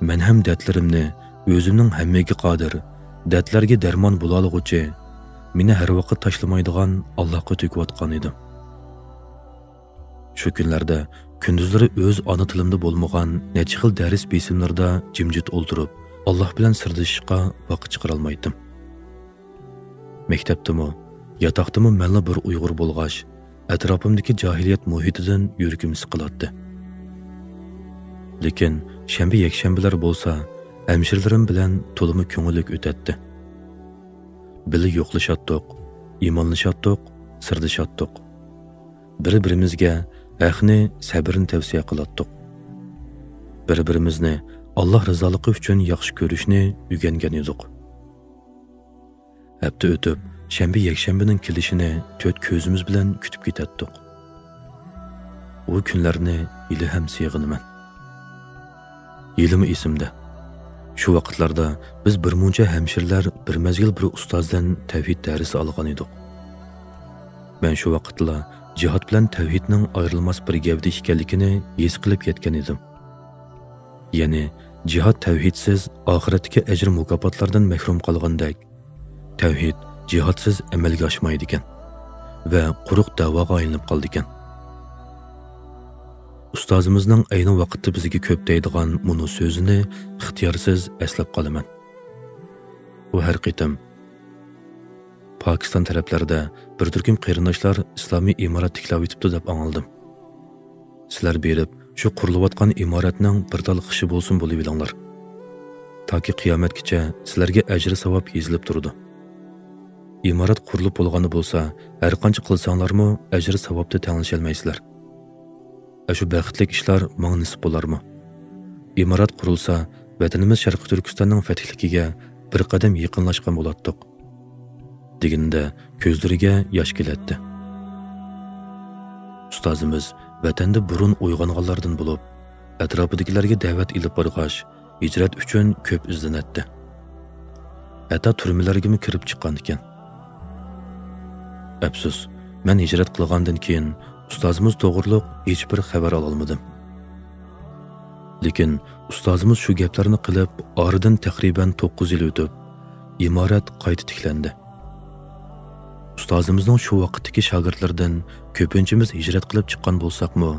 مەن ھەم دەردلىرىمنى ئۆزۈمنىڭ ھەممىگە قادىر، دەردلەرگە دەرمان بولالىغۇچى، مېنى ھەر ۋاقىت تاشلىمايدىغان ئاللاھقا تۆكۈۋاتقان ئىدىم. شۇ كۈنلەردە كۈندۈزلىرى ئۆز ئانا تىلىمدا بولمىغان نەچچە خىل دەرس بېسىملىرىدا جىمجىت ئولتۇرۇپ، ئاللاھ بىلەن سىردىشىشقا ۋاقىت چىقىرالمايتتىم. مەكتەپتىمۇ، ياتاقتىمۇ مەنلا بىر ئۇيغۇر بولغاچ، ئەتراپىمدىكى جاھىلىيەت مۇھىتىدىن يۈرىكىم سىقىلاتتى. لېكىن شەنبە، يەكشەنبىلەر بولسا ھەمشىرىلىرىم بىلەن تولىمۇ كۆڭۈللۈك ئۆتەتتى. بىللە يوقلىشاتتۇق، ئىمانلىشاتتۇق، سىردىشاتتۇق. بىر-بىرىمىزگە ھەقنى، سەبرنى تەۋسىيە قىلاتتۇق. بىر-بىرىمىزنى ئاللاھ رىزالىقى ئۈچۈن ياخشى كۆرۈشنى ئۆگەنگەن ئىدۇق. ھەپتە ئۆتۈپ، شەنبە، يەكشەنبىنىڭ كېلىشىنى تۆت كۆزىمىز بىلەن كۈتۈپ كېتەتتۇق. ئۇ كۈنلەرنى ھېلىھەم سېغىنىمەن. ھېلىمۇ ئېسىمدە. شۇ ۋاقىتلاردا بىز بىر مۇنچە ھەمشىرىلەر بىر مەزگىل بىر ئۇستازدىن تەۋھىد دەرسى ئالغان ئىدۇق. مەن شۇ ۋاقىتتىلا جىھاد بىلەن تەۋھىدنىڭ ئايرىلماس بىر گەۋدە ئىكەنلىكىنى ھېس قىلىپ يەتكەن ئىدىم. يەنى، جىھاد تەۋھىدسىز ئاخىرەتتىكى ئەجىر-مۇكاپاتلاردىن مەھرۇم قالغاندەك، تەۋھىد جىھادسىز ئەمەلگە ئاشمايدىكەن ۋە قۇرۇق دەۋاغا ئايلىنىپ قالىدىكەن. ئۇستازىمىزنىڭ ئەينى ۋاقىتتا بىزگە كۆپ دەيدىغان مۇنۇ سۆزىنى ئىختىيارسىز ئەسلەپ قالىمەن. ئۇ ھەر قېتىم، پاكىستان تەرەپلەردە بىر تۈركۈم قېرىنداشلار ئىسلامىي ئىمارەت تىكلەۋېتىپتۇ دەپ ئاڭلىدىم. سىلەر بېرىپ، شۇ قۇرۇلۇۋاتقان ئىمارەتنىڭ بىر تال خىشى بولسۇن بولۇۋېلىڭلار. تاكى قىيامەتكىچە سىلەرگە ئەجرى ساۋاب يېزىلىپ تۇرىدۇ. ئىمارەت قۇرۇلۇپ بولغاندا بولسا، ھەرقانچە قىلساڭلارمۇ ئەجرى ساۋابتا تەڭلىشەلمەيسىلەر. ئەشۇ بەختلىك ئىشلار ماڭا نېسىپ بولارمۇ؟ ئىمارەت قۇرۇلسا، ۋەتىنىمىز شەرقىي تۈركىستاننىڭ فەتھلىكىگە بىر قەدەم يېقىنلاشقان بولاتتۇق، دېگىنىدە كۆزلىرىگە ياش كېلەتتى. ئۇستازىمىز ۋەتەندە بۇرۇن ئويغانغانلاردىن بولۇپ، ئەتراپىدىكىلەرگە دەۋەت ئېلىپ بارغاچ، ھىجرەت ئۈچۈن كۆپ ئىزدىنەتتى. ھەتتا تۈرمىلەرگىمۇ كىرىپ چىققان ئىكەن. ئەپسۇس، مەن ھىجرەت قىلغاندىن كېيىن ئۇستازىمىز توغرۇلۇق ھېچبىر خەۋەر ئالالمىدىم. لېكىن ئۇستازىمىز شۇ گەپلەرنى قىلىپ، ئارىدىن تەقرىبەن توققۇز يىل ئۆتۈپ، ئىمارەت قايتا تىكلەندى. ئۇستازىمىزنىڭ شۇ ۋاقىتتىكى شاگىرتلىرىدىن كۆپىنچىمىز ھىجرەت قىلىپ چىققان بولساقمۇ،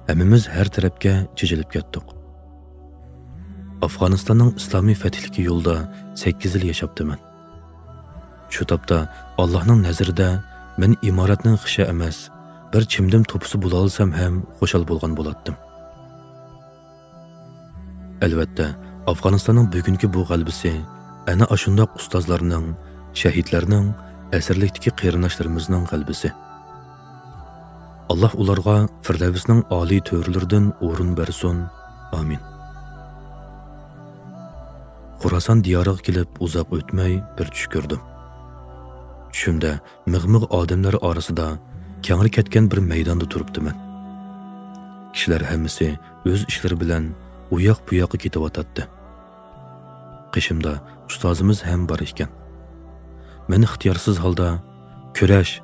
ھەممىمىز ھەر تەرەپكە چېچىلىپ كەتتۇق. ئافغانىستاننىڭ ئىسلامىي فەتھلىكى يولىدا سەككىز يىل ياشاپتىمەن. شۇ تاپتا ئاللاھنىڭ نەزىرىدە مەن ئىمارەتنىڭ خىشى ئەمەس، بىر چىمدىم توپىسى بولالىسام ھەم خۇشال بولغان بولاتتىم. ئەلۋەتتە، ئافغانىستاننىڭ بۈگۈنكى بۇ غەلىبىسى ئەنە ئاشۇنداق ئۇستازلارنىڭ، شەھىدلەرنىڭ، ئەسىرلىكتىكى قېرىنداشلىرىمىزنىڭ غەلىبىسى. ئاللاھ ئۇلارغا فىردەۋسنىڭ ئالىي تۆرىلىرىدىن ئورۇن بەرسۇن. ئامىن. خوراسان دىيارىغا كېلىپ ئۇزاق ئۆتمەي بىر چۈش كۆردۈم. چۈشۈمدە مىغ-مىغ ئادەملەر ئارىسىدا كەڭرى كەتكەن بىر مەيداندا تۇرۇپتىمەن. كىشىلەر ھەممىسى ئۆز ئىشلىرى بىلەن ئۇ ياق بۇ ياققا كېتىۋاتاتتى. قېشىمدا ئۇستازىمىز ھەم بار ئىكەن. مەن ئىختىيارسىز ھالدا، «كۈرەش!»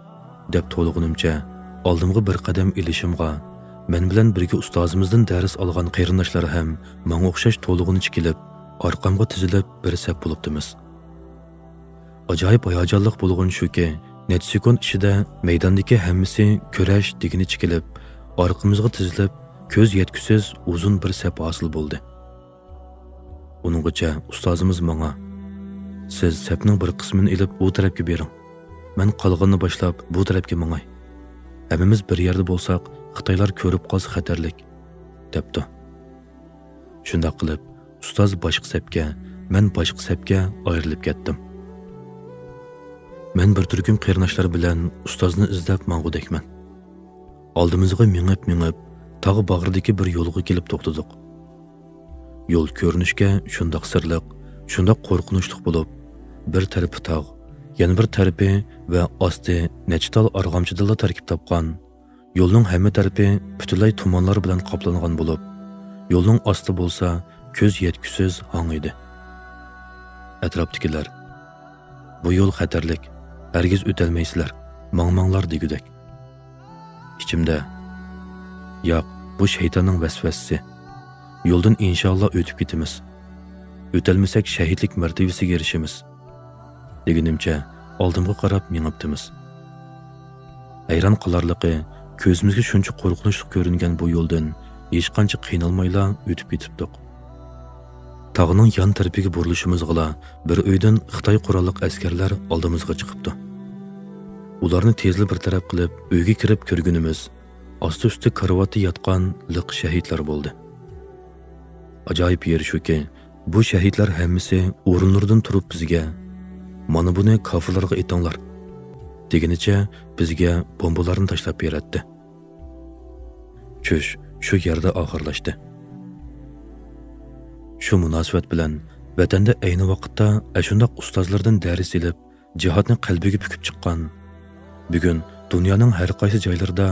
دەپ توۋلىغىنىمچە، ئالدىمغا بىر قەدەم ئېلىشىمغا، مەن بىلەن بىرگە ئۇستازىمىزدىن دەرس ئالغان قېرىنداشلار ھەم ماڭا ئوخشاش توۋلىغۇنچە كېلىپ، ئارقامغا تىزىلىپ بىر سەپ بولۇپتىمىز. ئاجايىپ ھاياجانلىق بولغىنى شۇكى، نەچچە سېكۇنت ئىچىدە مەيداندىكى ھەممىسى «كۈرەش!» دېگىنىچە كېلىپ، ئارقىمىزغا تىزىلىپ، كۆز يەتكۈسىز ئۇزۇن بىر سەپ ھاسىل بولدى. ئۇنىڭغىچە ئۇستازىمىز ماڭا، «سىز سەپنىڭ بىر قىسمىنى ئېلىپ ئۇ تەرەپكە بېرىڭ. مەن قالغىنىنى باشلاپ بۇ تەرەپكە ماڭاي. ھەممىمىز بىر يەردە بولساق، خىتايلار كۆرۈپ قالسا خەتەرلىك» دەپتۇ. شۇنداق قىلىپ، ئۇستاز باشقا سەپكە، مەن باشقا سەپكە ئايرىلىپ كەتتىم. مەن بىر تۈركۈم قېرىنداشلار بىلەن ئۇستازنى ئىزدەپ ماڭغۇدەكمەن. ئالدىمىزغا مېڭىپ-مېڭىپ، تاغ باغرىدىكى بىر يولغا كېلىپ توختىدۇق. يول كۆرۈنۈشكە شۇنداق سىرلىق، شۇنداق قورقۇنچلۇق بولۇپ، بىر تەرىپى تاغ، يەنە بىر تەرىپى ۋە ئاستى نەچچە تال ئارغامچىدىنلا تەركىب تاپقان، يولنىڭ ھەممە تەرىپى پۈتۈنلەي تۇمانلار بىلەن قاپلانغان بولۇپ، يولنىڭ ئاستى بولسا كۆز يەتكۈسىز ھاڭ ئىدى. ئەتراپتىكىلەر، «بۇ يول خەتەرلىك، ھەرگىز ئۆتەلمەيسىلەر، ماڭماڭلار» دېگۈدەك. ئىچىمدە، «ياق، بۇ شەيتاننىڭ ۋەسۋەسىسى. يولدىن ئىنشائاللا ئۆتۈپ كېتىمىز. ئۆتەلمىسەك شەھىدلىك مەرتىۋىسىگە ئېرىشىمىز» دېگىنىمچە ئالدىمغا قاراپ مېڭىپتىمىز. ھەيران قالارلىقى، كۆزىمىزگە شۇنچە قورقۇنچلۇق كۆرۈنگەن بۇ يولدىن ھېچقانچە قىينالمايلا ئۆتۈپ كېتىپتۇق. تاغنىڭ يان تەرىپىگە بۇرۇلۇشىمىزغىلا بىر ئۆيدىن خىتاي قوراللىق ئەسكەرلەر ئالدىمىزغا چىقىپتۇ. ئۇلارنى تېزلا بىر تەرەپ قىلىپ ئۆيگە كىرىپ كۆرگىنىمىز، ئاستى ئۈستى كارىۋاتتا ياتقان لىق شەھىدلەر بولدى. ئاجايىپ يېرى شۇكى، بۇ شەھىدلەر ھەممىسى ئورۇنلىرىدىن تۇرۇپ بىزگە، «مانا بۇنى كاپىرلارغا ئېتىڭلار» دېگىنىچە بىزگە بومبىلارنى تاشلاپ بېرەتتى. چۈش شۇ يەردە ئاخىرلاشتى. شۇ مۇناسىۋەت بىلەن ۋەتەندە ئەينى ۋاقىتتا ئەشۇنداق ئۇستازلاردىن دەرس ئېلىپ، جىھادنى قەلبىگە پۈكۈپ چىققان، بۈگۈن دۇنيانىڭ ھەر قايسى جايلىرىدا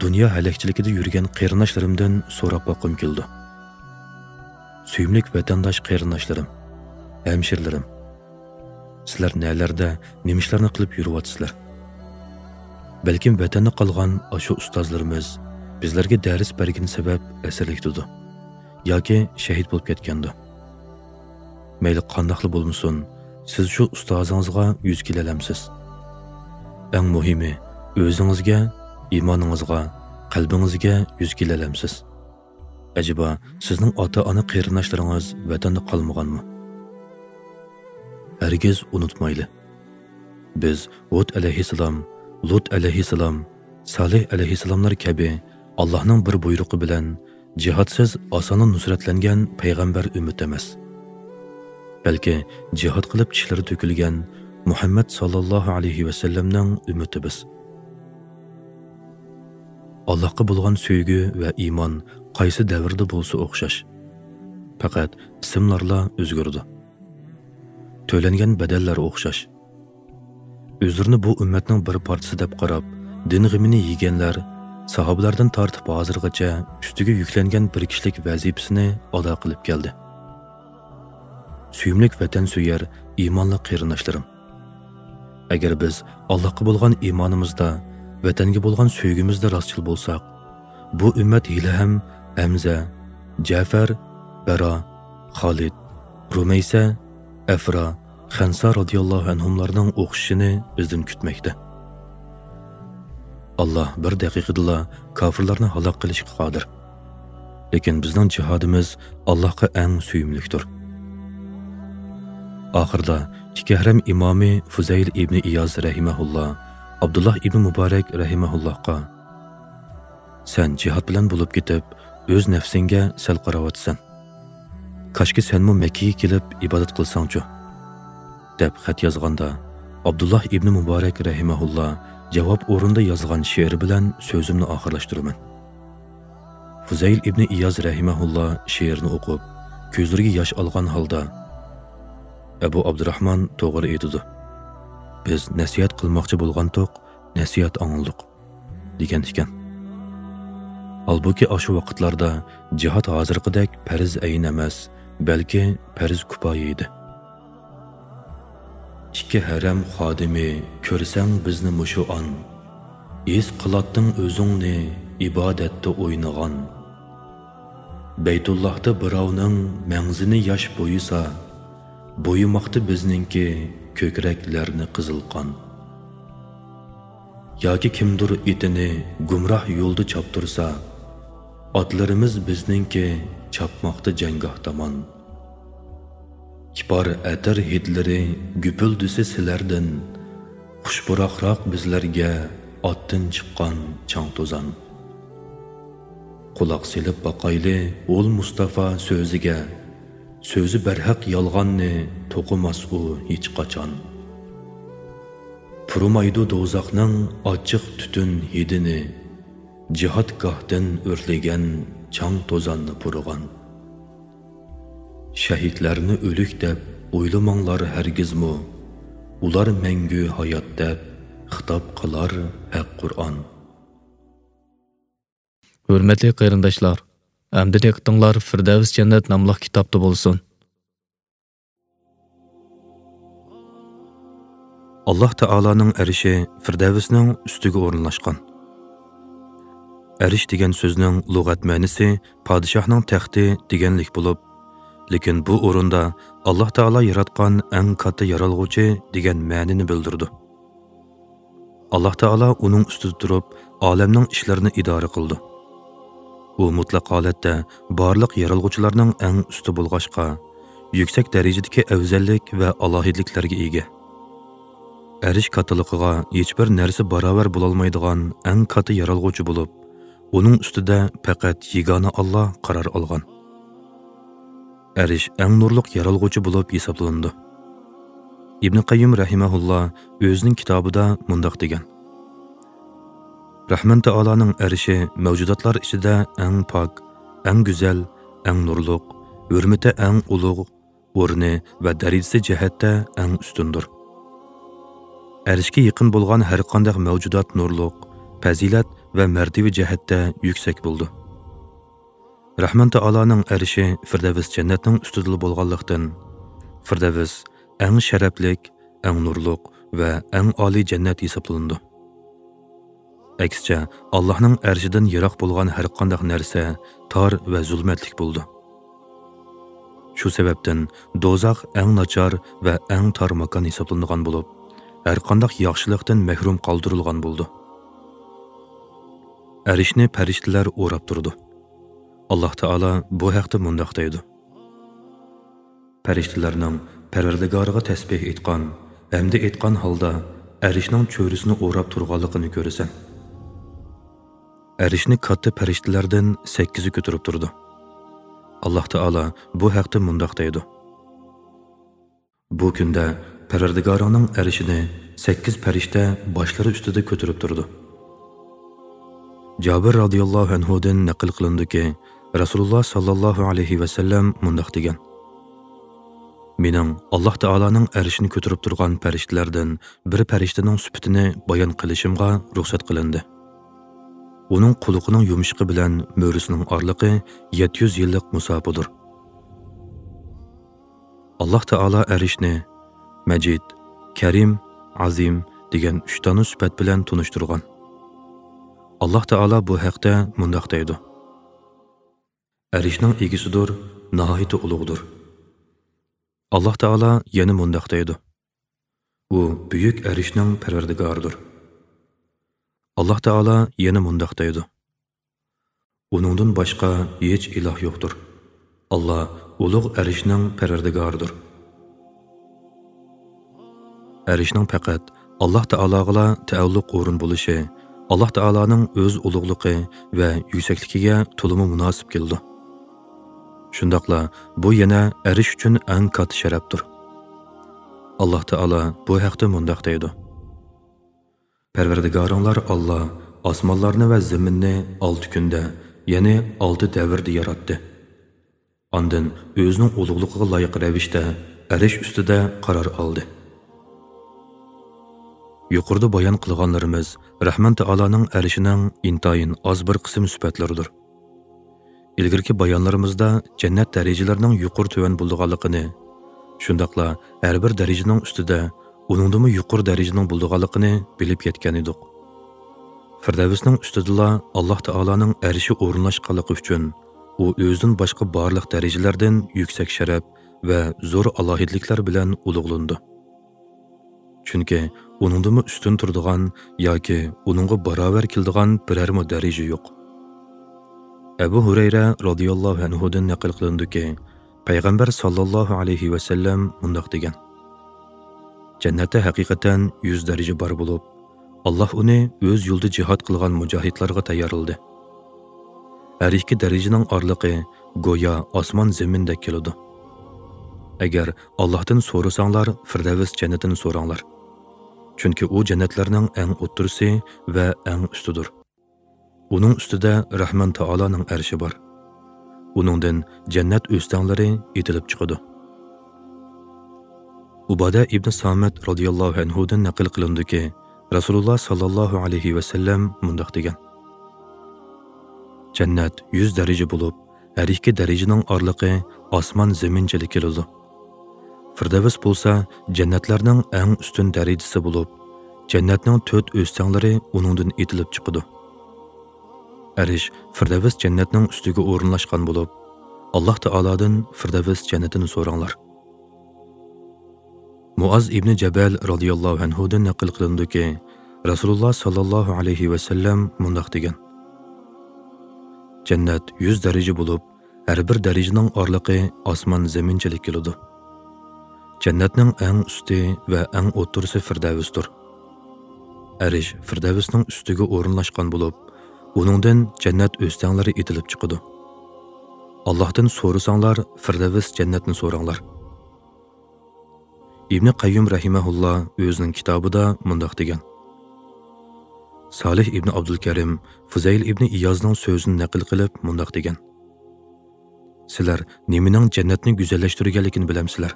دۇنيا ھەلەكچىلىكىدە يۈرگەن قېرىنداشلىرىمدىن سوراپ باققۇم كېلىدۇ. سۆيۈملۈك ۋەتەنداش قېرىنداشلىرىم، ھەمشىرىلىرىم، سىلەر نەلەردە، نېمە ئىشلارنى قىلىپ يۈرۈۋاتىسىلەر؟ بەلكىم ۋەتەندە قالغان ئاشۇ ئۇستازلىرىمىز بىزلەرگە دەرس بەرگىنى سەۋەب ئەسىرلىكتىدۇ ياكى شەھىت بولۇپ كەتكەندۇ. مەيلى قانداقلا بولمىسۇن، سىز شۇ ئۇستازىڭىزغا يۈز كېلەلەمسىز؟ ئەڭ مۇھىمى، ئۆزىڭىزگە، ئىمانىڭىزغا، قەلبىڭىزگە يۈز كېلەلەمسىز؟ ئەجەبا، سىزنىڭ ئاتا-ئانا قېرىنداشلىرىڭىز ۋەتەندە قالمىغانمۇ؟ ھەرگىز ئۇنتۇمايلى. بىز ھۇد ئەلەيھىسسالام، لۇت ئەلەيھىسسالام، سالىھ ئەلەيھىسسالاملار كەبى ئاللاھنىڭ بىر بۇيرۇقى بىلەن جىھادسىز ئاسانلا نۇسرەتلەنگەن پەيغەمبەر ئۈممىتى ئەمەس. بەلكى جىھاد قىلىپ چىشلىرى تۆكۈلگەن مۇھەممەد ساللاللاھۇ ئەلەيھى ۋەسەللەمنىڭ ئۈممىتى بىز. ئاللاھقا بولغان سۆيگۈ ۋە ئىمان قايسى دەۋردە بولسا ئوخشاش. پەقەت ئىسىملارلا ئۆزگىرىدۇ. تۆلەنگەن بەدەللەر ئوخشاش. ئۆزلىرىنى بۇ ئۈممەتنىڭ بىر پارچىسى دەپ قاراپ، دىن غېمىنى يېگەنلەر ساھابىلاردىن تارتىپ ھازىرغىچە ئۈستىگە يۈكلەنگەن بىر كىشىلىك ۋەزىپىسىنى ئادا قىلىپ كەلدى. سۆيۈملۈك ۋەتەنسۆيەر ئىمانلىق قېرىنداشلىرىم! ئەگەر بىز ئاللاھقا بولغان ئىمانىمىزدا، ۋەتەنگە بولغان سۆيگۈمىزدە راستچىل بولساق، بۇ ئۈممەت ھېلىھەم ھەمزە، جەفەر، بەرا، خالىد، رۇمەيسە، ئەفرا، خەنسا رازىياللاھۇ ئەنھۇملارنىڭ ئوخشىشىنى بىزدىن كۈتمەكتە. ئاللاھ بىر دەقىقىدىلا كاپىرلارنى ھالاك قىلىشقا قادىر. لېكىن بىزنىڭ جىھادىمىز ئاللاھقا ئەڭ سۆيۈملۈكتۇر. ئاخىرىدا ئىككى ھەرەم ئىمامى فۇزەيل ئىبنى ئىياز رەھىمەھۇللا ئابدۇللاھ ئىبنى مۇبارەك رەھىمەھۇللاھقا، سەن جىھاد بىلەن بولۇپ كېتىپ، ئۆز نەپسىڭگە سەل قاراۋاتىسەن. كاشكى سەنمۇ مەككىگە كېلىپ ئىبادەت قىلساڭچۇ؟ دەپ خەت يازغاندا، ئابدۇللاھ ئىبنى مۇبارەك رەھىمەھۇللا جاۋاب ئورنىدا يازغان شېئىرى بىلەن سۆزۈمنى ئاخىرلاشتۇرىمەن. فۇزەيل ئىبنى ئىياز رەھىمەھۇللا شېئىرنى ئوقۇپ، كۆزلىرىگە ياش ئالغان ھالدا، ئەبۇ ئابدۇراخمان توغرا ئېيتىدۇ. بىز نەسىھەت قىلماقچى بولغانتۇق، نەسىھەت ئاڭلىدۇق، دېگەن ئىكەن. ھالبۇكى، ئاشۇ ۋاقىتلاردا جىھاد ھازىرقىدەك پەرز ئەين ئەمەس، بەلكى پەرز كۇپايە ئىدى. ئىككى ھەرەم خادىمى، كۆرسەڭ بىزنى مۇشۇ ئان، ھېس قىلاتتىڭ ئۆزۈڭنى ئىبادەتتە ئوينىغان. بەيتۇللاھتا بىراۋنىڭ مەڭزىنى ياش بويىسا، بويىماقتا بىزنىڭكى كۆكرەكلەرنى قىزىل قان. ياكى كىمدۇر ئېتىنى گۇمراھ يولدا چاپتۇرسا، ئاتلىرىمىز بىزنىڭكى چاپماقتا جەڭگاھ تامان. كىپار ئەتىر ھىدلىرى گۈپۈلدىسى سىلەردىن، خۇش پۇراقراق بىزلەرگە ئاتتىن چىققان چاڭ توزان. قۇلاق سېلىپ باقايلى ئۇل مۇستافا سۆزىگە، سۆزى بەرھەق يالغاننى توقۇماس ئۇ ھېچقاچان. پۇرىمايدۇ دوزاخنىڭ ئاچچىق تۈتۈن ھىدىنى، جىھادگاھتىن ئۆرلىگەن چاڭ توزاننى پۇرىغان. شەھىدلەرنى ئۆلۈك دەپ ئويلىماڭلار ھەرگىزمۇ، ئۇلار مەڭگۈ ھايات دەپ خىتاب قىلار ھەق قۇرئان. ھۆرمەتلىك قېرىنداشلار، ئەمدى دىققىتىڭلار فىردەۋس جەننەت ناملىق كىتابتا بولسۇن. ئاللاھ تائالانىڭ ئەرشى فىردەۋسنىڭ ئۈستىگە ئورۇنلاشقان. ئەرش دېگەن سۆزنىڭ لۇغەت مەنىسى پادىشاھنىڭ تەختى دېگەنلىك بولۇپ، لېكىن بۇ ئورۇندا ئاللاھ تائالا ياراتقان ئەڭ كاتتا يارالغۇچى دېگەن مەنىنى بىلدۈرىدۇ. ئاللاھ تائالا ئۇنىڭ ئۈستىدە تۇرۇپ، ئالەمنىڭ ئىشلىرىنى ئىدارە قىلىدۇ. ئۇ مۇتلەق ھالەتتە بارلىق يارالغۇچىلارنىڭ ئەڭ ئۈستى بولغاچقا، يۈكسەك دەرىجىدىكى ئەۋزەللىك ۋە ئالاھىدىلىكلەرگە ئىگە. ئەرش كاتتىلىقىغا ھېچبىر نەرسە باراۋەر بولالمايدىغان ئەڭ كاتتا يارالغۇچى بولۇپ، ئۇنىڭ ئۈستىدە پەقەت يېگانە ئاللاھ قارار ئالغان. ئەرش ئەڭ نۇرلۇق يارالغۇچى بولۇپ ھېسابلىنىدۇ. ئىبنى قەييىم رەھىمەھۇللاھ ئۆزىنىڭ كىتابىدا مۇنداق دېگەن: رەھمان تائالانىڭ ئەرشى مەۋجۇداتلار ئىچىدە ئەڭ پاك، ئەڭ گۈزەل، ئەڭ نۇرلۇق، ھۆرمىتى ئەڭ ئۇلۇغ، ئورنى ۋە دەرىجىسى جەھەتتە ئەڭ ئۈستۈندۇر. ئەرشكە يېقىن بولغان ھەرقانداق مەۋجۇدات نۇرلۇق، پەزىلەت ۋە مەرتىۋە جەھەتتە يۈكسەك بولىدۇ. رەھمان تائالانىڭ ئەرشى فىردەۋس جەننەتنىڭ ئۈستىدىلا بولغانلىقتىن، فىردەۋس ئەڭ شەرەپلىك، ئەڭ نۇرلۇق ۋە ئەڭ ئالىي جەننەت ھېسابلىنىدۇ. ئەكسىچە، ئاللاھنىڭ ئەرشىدىن يىراق بولغان ھەرقانداق نەرسە تار ۋە زۇلمەتلىك بولىدۇ. شۇ سەۋەبتىن دوزاخ ئەڭ ناچار ۋە ئەڭ تار ماكان ھېسابلىنىدىغان بولۇپ، ھەرقانداق ياخشىلىقتىن مەھرۇم قالدۇرۇلغان بولىدۇ. ئەرشنى پەرىشتىلەر ئوراپ تۇرىدۇ. ئاللاھ تائالا بۇ ھەقتە مۇنداق دەيدۇ: پەرىشتىلەرنىڭ پەرۋەردىگارىغا تەسبىھ ئېيتقان ھەمدە ئېيتقان ھالدا ئەرشنىڭ چۆرىسىنى ئوراپ تۇرغانلىقىنى كۆرىسەن. ئەرشنى كاتتا پەرىشتىلەردىن سەككىزى كۆتۈرۈپ تۇرىدۇ. ئاللاھ تائالا بۇ ھەقتە مۇنداق دەيدۇ: بۇ كۈندە پەرۋەردىگارىڭنىڭ ئەرشىنى سەككىز پەرىشتە باشلىرى ئۈستىدە كۆتۈرۈپ تۇرىدۇ. جابىر رازىياللاھۇ ئەنھۇدىن نەقىل قىلىنىدۇكى، رەسۇلۇللاھ ساللاللاھۇ ئەلەيھى ۋەسەللەم مۇنداق دېگەن: مېنىڭ ئاللاھ تائالانىڭ ئەرشىنى كۆتۈرۈپ تۇرغان پەرىشتىلەردىن بىر پەرىشتىنىڭ سۈپىتىنى بايان قىلىشىمغا رۇخسەت قىلىندى. ئۇنىڭ قۇلىقىنىڭ يۇمشىقى بىلەن مۈرىسىنىڭ ئارىلىقى يەتتە يۈز يىللىق مۇساپىدۇر. ئاللاھ تائالا ئەرشنى مەجىد، كەرىم، ئازىم دېگەن ئۈچ دانە سۈپەت بىلەن تونۇشتۇرغان. ئاللاھ تائالا بۇ ھەقتە مۇنداق دەيدۇ: ئەرشنىڭ ئىگىسىدۇر، ناھايىتى ئۇلۇغدۇر. ئاللاھ تائالا يەنە مۇنداق دەيدۇ: ئۇ بۈيۈك ئەرشنىڭ پەرۋەردىگارىدۇر. ئاللاھ تائالا يەنە مۇنداق دەيدۇ: ئۇنىڭدىن باشقا ھېچ ئىلاھ يوقتۇر. ئاللاھ ئۇلۇغ ئەرشنىڭ پەرۋەردىگارىدۇر. ئەرشنىڭ پەقەت ئاللاھ تائالاغىلا تەئەللۇق ئورۇن بولۇشى ئاللاھ تائالانىڭ ئۆز ئۇلۇغلۇقى ۋە يۈكسەكلىكىگە تولىمۇ مۇناسىپ كېلىدۇ. شۇنداقلا بۇ يەنە ئەرش ئۈچۈن ئەڭ كاتتا شەرەپتۇر. ئاللاھ تائالا بۇ ھەقتە مۇنداق دەيدۇ: پەرۋەردىگارىڭلار ئاللاھ ئاسمانلارنى ۋە زېمىننى ئالتە كۈندە، يەنى ئالتە دەۋردە ياراتتى. ئاندىن ئۆزىنىڭ ئۇلۇغلۇقىغا لايىق رەۋىشتە ئەرش ئۈستىدە قارار ئالدى. يۇقىرىدا بايان قىلغانلىرىمىز رەھمان تائالانىڭ ئەرشىنىڭ ئىنتايىن ئاز بىر قىسىم سۈپەتلىرىدۇر. ئىلگىرىكى بايانلىرىمىزدا جەننەت دەرىجىلىرىنىڭ يۇقىرى تۆۋەن بولىدىغانلىقىنى، شۇنداقلا ھەر بىر دەرىجىنىڭ ئۈستىدە ئۇنىڭدىنمۇ يۇقىرى دەرىجىنىڭ بولىدىغانلىقىنى بىلىپ يەتكەن ئىدۇق. فىردەۋسنىڭ ئۈستىدىلا ئاللاھ تائالانىڭ ئەرشى ئورۇنلاشقانلىقى ئۈچۈن، ئۇ ئۆزىدىن باشقا بارلىق دەرىجىلەردىن يۈكسەك شەرەپ ۋە زور ئالاھىدىلىكلەر بىلەن ئۇلۇغلىنىدۇ. چۈنكى ئۇنىڭدىنمۇ ئۈستۈن تۇرىدىغان ياكى ئۇنىڭغا باراۋەر كېلىدىغان بىرەرمۇ دەرىجە يوق. ئەبۇ ھۇرەيرە رازىياللاھۇ ئەنھۇدىن نەقىل قىلىنىدۇكى، پەيغەمبەر ساللاللاھۇ ئەلەيھى ۋەسەللەم مۇنداق دېگەن: جەننەتتە ھەقىقەتەن يۈز دەرىجە بار بولۇپ، ئاللاھ ئۇنى ئۆز يولىدا جىھاد قىلغان مۇجاھىدلارغا تەييارلىدى. ھەر ئىككى دەرىجىنىڭ ئارىلىقى گويا ئاسمان زېمىندەك كېلىدۇ. ئەگەر ئاللاھتىن سورىساڭلار، فىردەۋس جەننىتىنى سوراڭلار. چۈنكى ئۇ جەننەتلەرنىڭ ئەڭ ئوتتۇرىسى ۋە ئەڭ ئۈستىدۇر. ئۇنىڭ ئۈستىدە رەھمان تائالانىڭ ئەرشى بار. ئۇنىڭدىن جەننەت ئۆستەڭلىرى ئېتىلىپ چىقىدۇ. ئۇبادە ئىبنى سامىت رازىياللاھۇ ئەنھۇدىن نەقىل قىلىنىدۇكى، رەسۇلۇللاھ ساللاللاھۇ ئەلەيھى ۋەسەللەم مۇنداق دېگەن: جەننەت يۈز دەرىجە بولۇپ، ھەر ئىككى دەرىجىنىڭ ئارىلىقى ئاسمان زېمىنچىلىك كېلىدۇ. فىردەۋس بولسا جەننەتلەرنىڭ ئەڭ ئۈستۈن دەرىجىسى بولۇپ، جەننەتنىڭ تۆت ئۆستەڭلىرى ئۇنىڭدىن ئېتىلىپ چىقىدۇ. ئەرش، فىردەۋس جەننەتنىڭ ئۈستىگە ئورۇنلاشقان بولۇپ، ئاللاھ تائالادىن فىردەۋس جەننىتىنى سوراڭلار. مۇئاز ئىبنى جەبەل رازىياللاھۇ ئەنھۇدىن نەقىل قىلىنىدۇكى، رەسۇلۇللاھ ساللاللاھۇ ئەلەيھى ۋەسەللەم مۇنداق دېگەن: جەننەت يۈز دەرىجە بولۇپ، ھەر بىر دەرىجىنىڭ ئارىلىقى ئاسمان زېمىنچىلىك كېلىدۇ. جەننەتنىڭ ئەڭ ئۈستى ۋە ئەڭ ئوتتۇرىسى فىردەۋستۇر. ئەرش فىردەۋسنىڭ ئۈستىگە ئورۇنلاشقان بولۇپ، ئۇنىڭدىن جەننەت ئۆستەڭلىرى ئېتىلىپ چىقىدۇ. ئاللاھتىن سورىساڭلار، فىردەۋس جەننەتنى سوراڭلار. ئىبنى قەييۇم رەھىمەھۇللا ئۆزىنىڭ كىتابىدا مۇنداق دېگەن: سالىھ ئىبنى ئابدۇلكەرىم فۇزەيل ئىبنى ئىيازنىڭ سۆزىنى نەقىل قىلىپ مۇنداق دېگەن: سىلەر نېمىنىڭ جەننەتنى گۈزەللەشتۈرگەنلىكىنى بىلەمسىلەر؟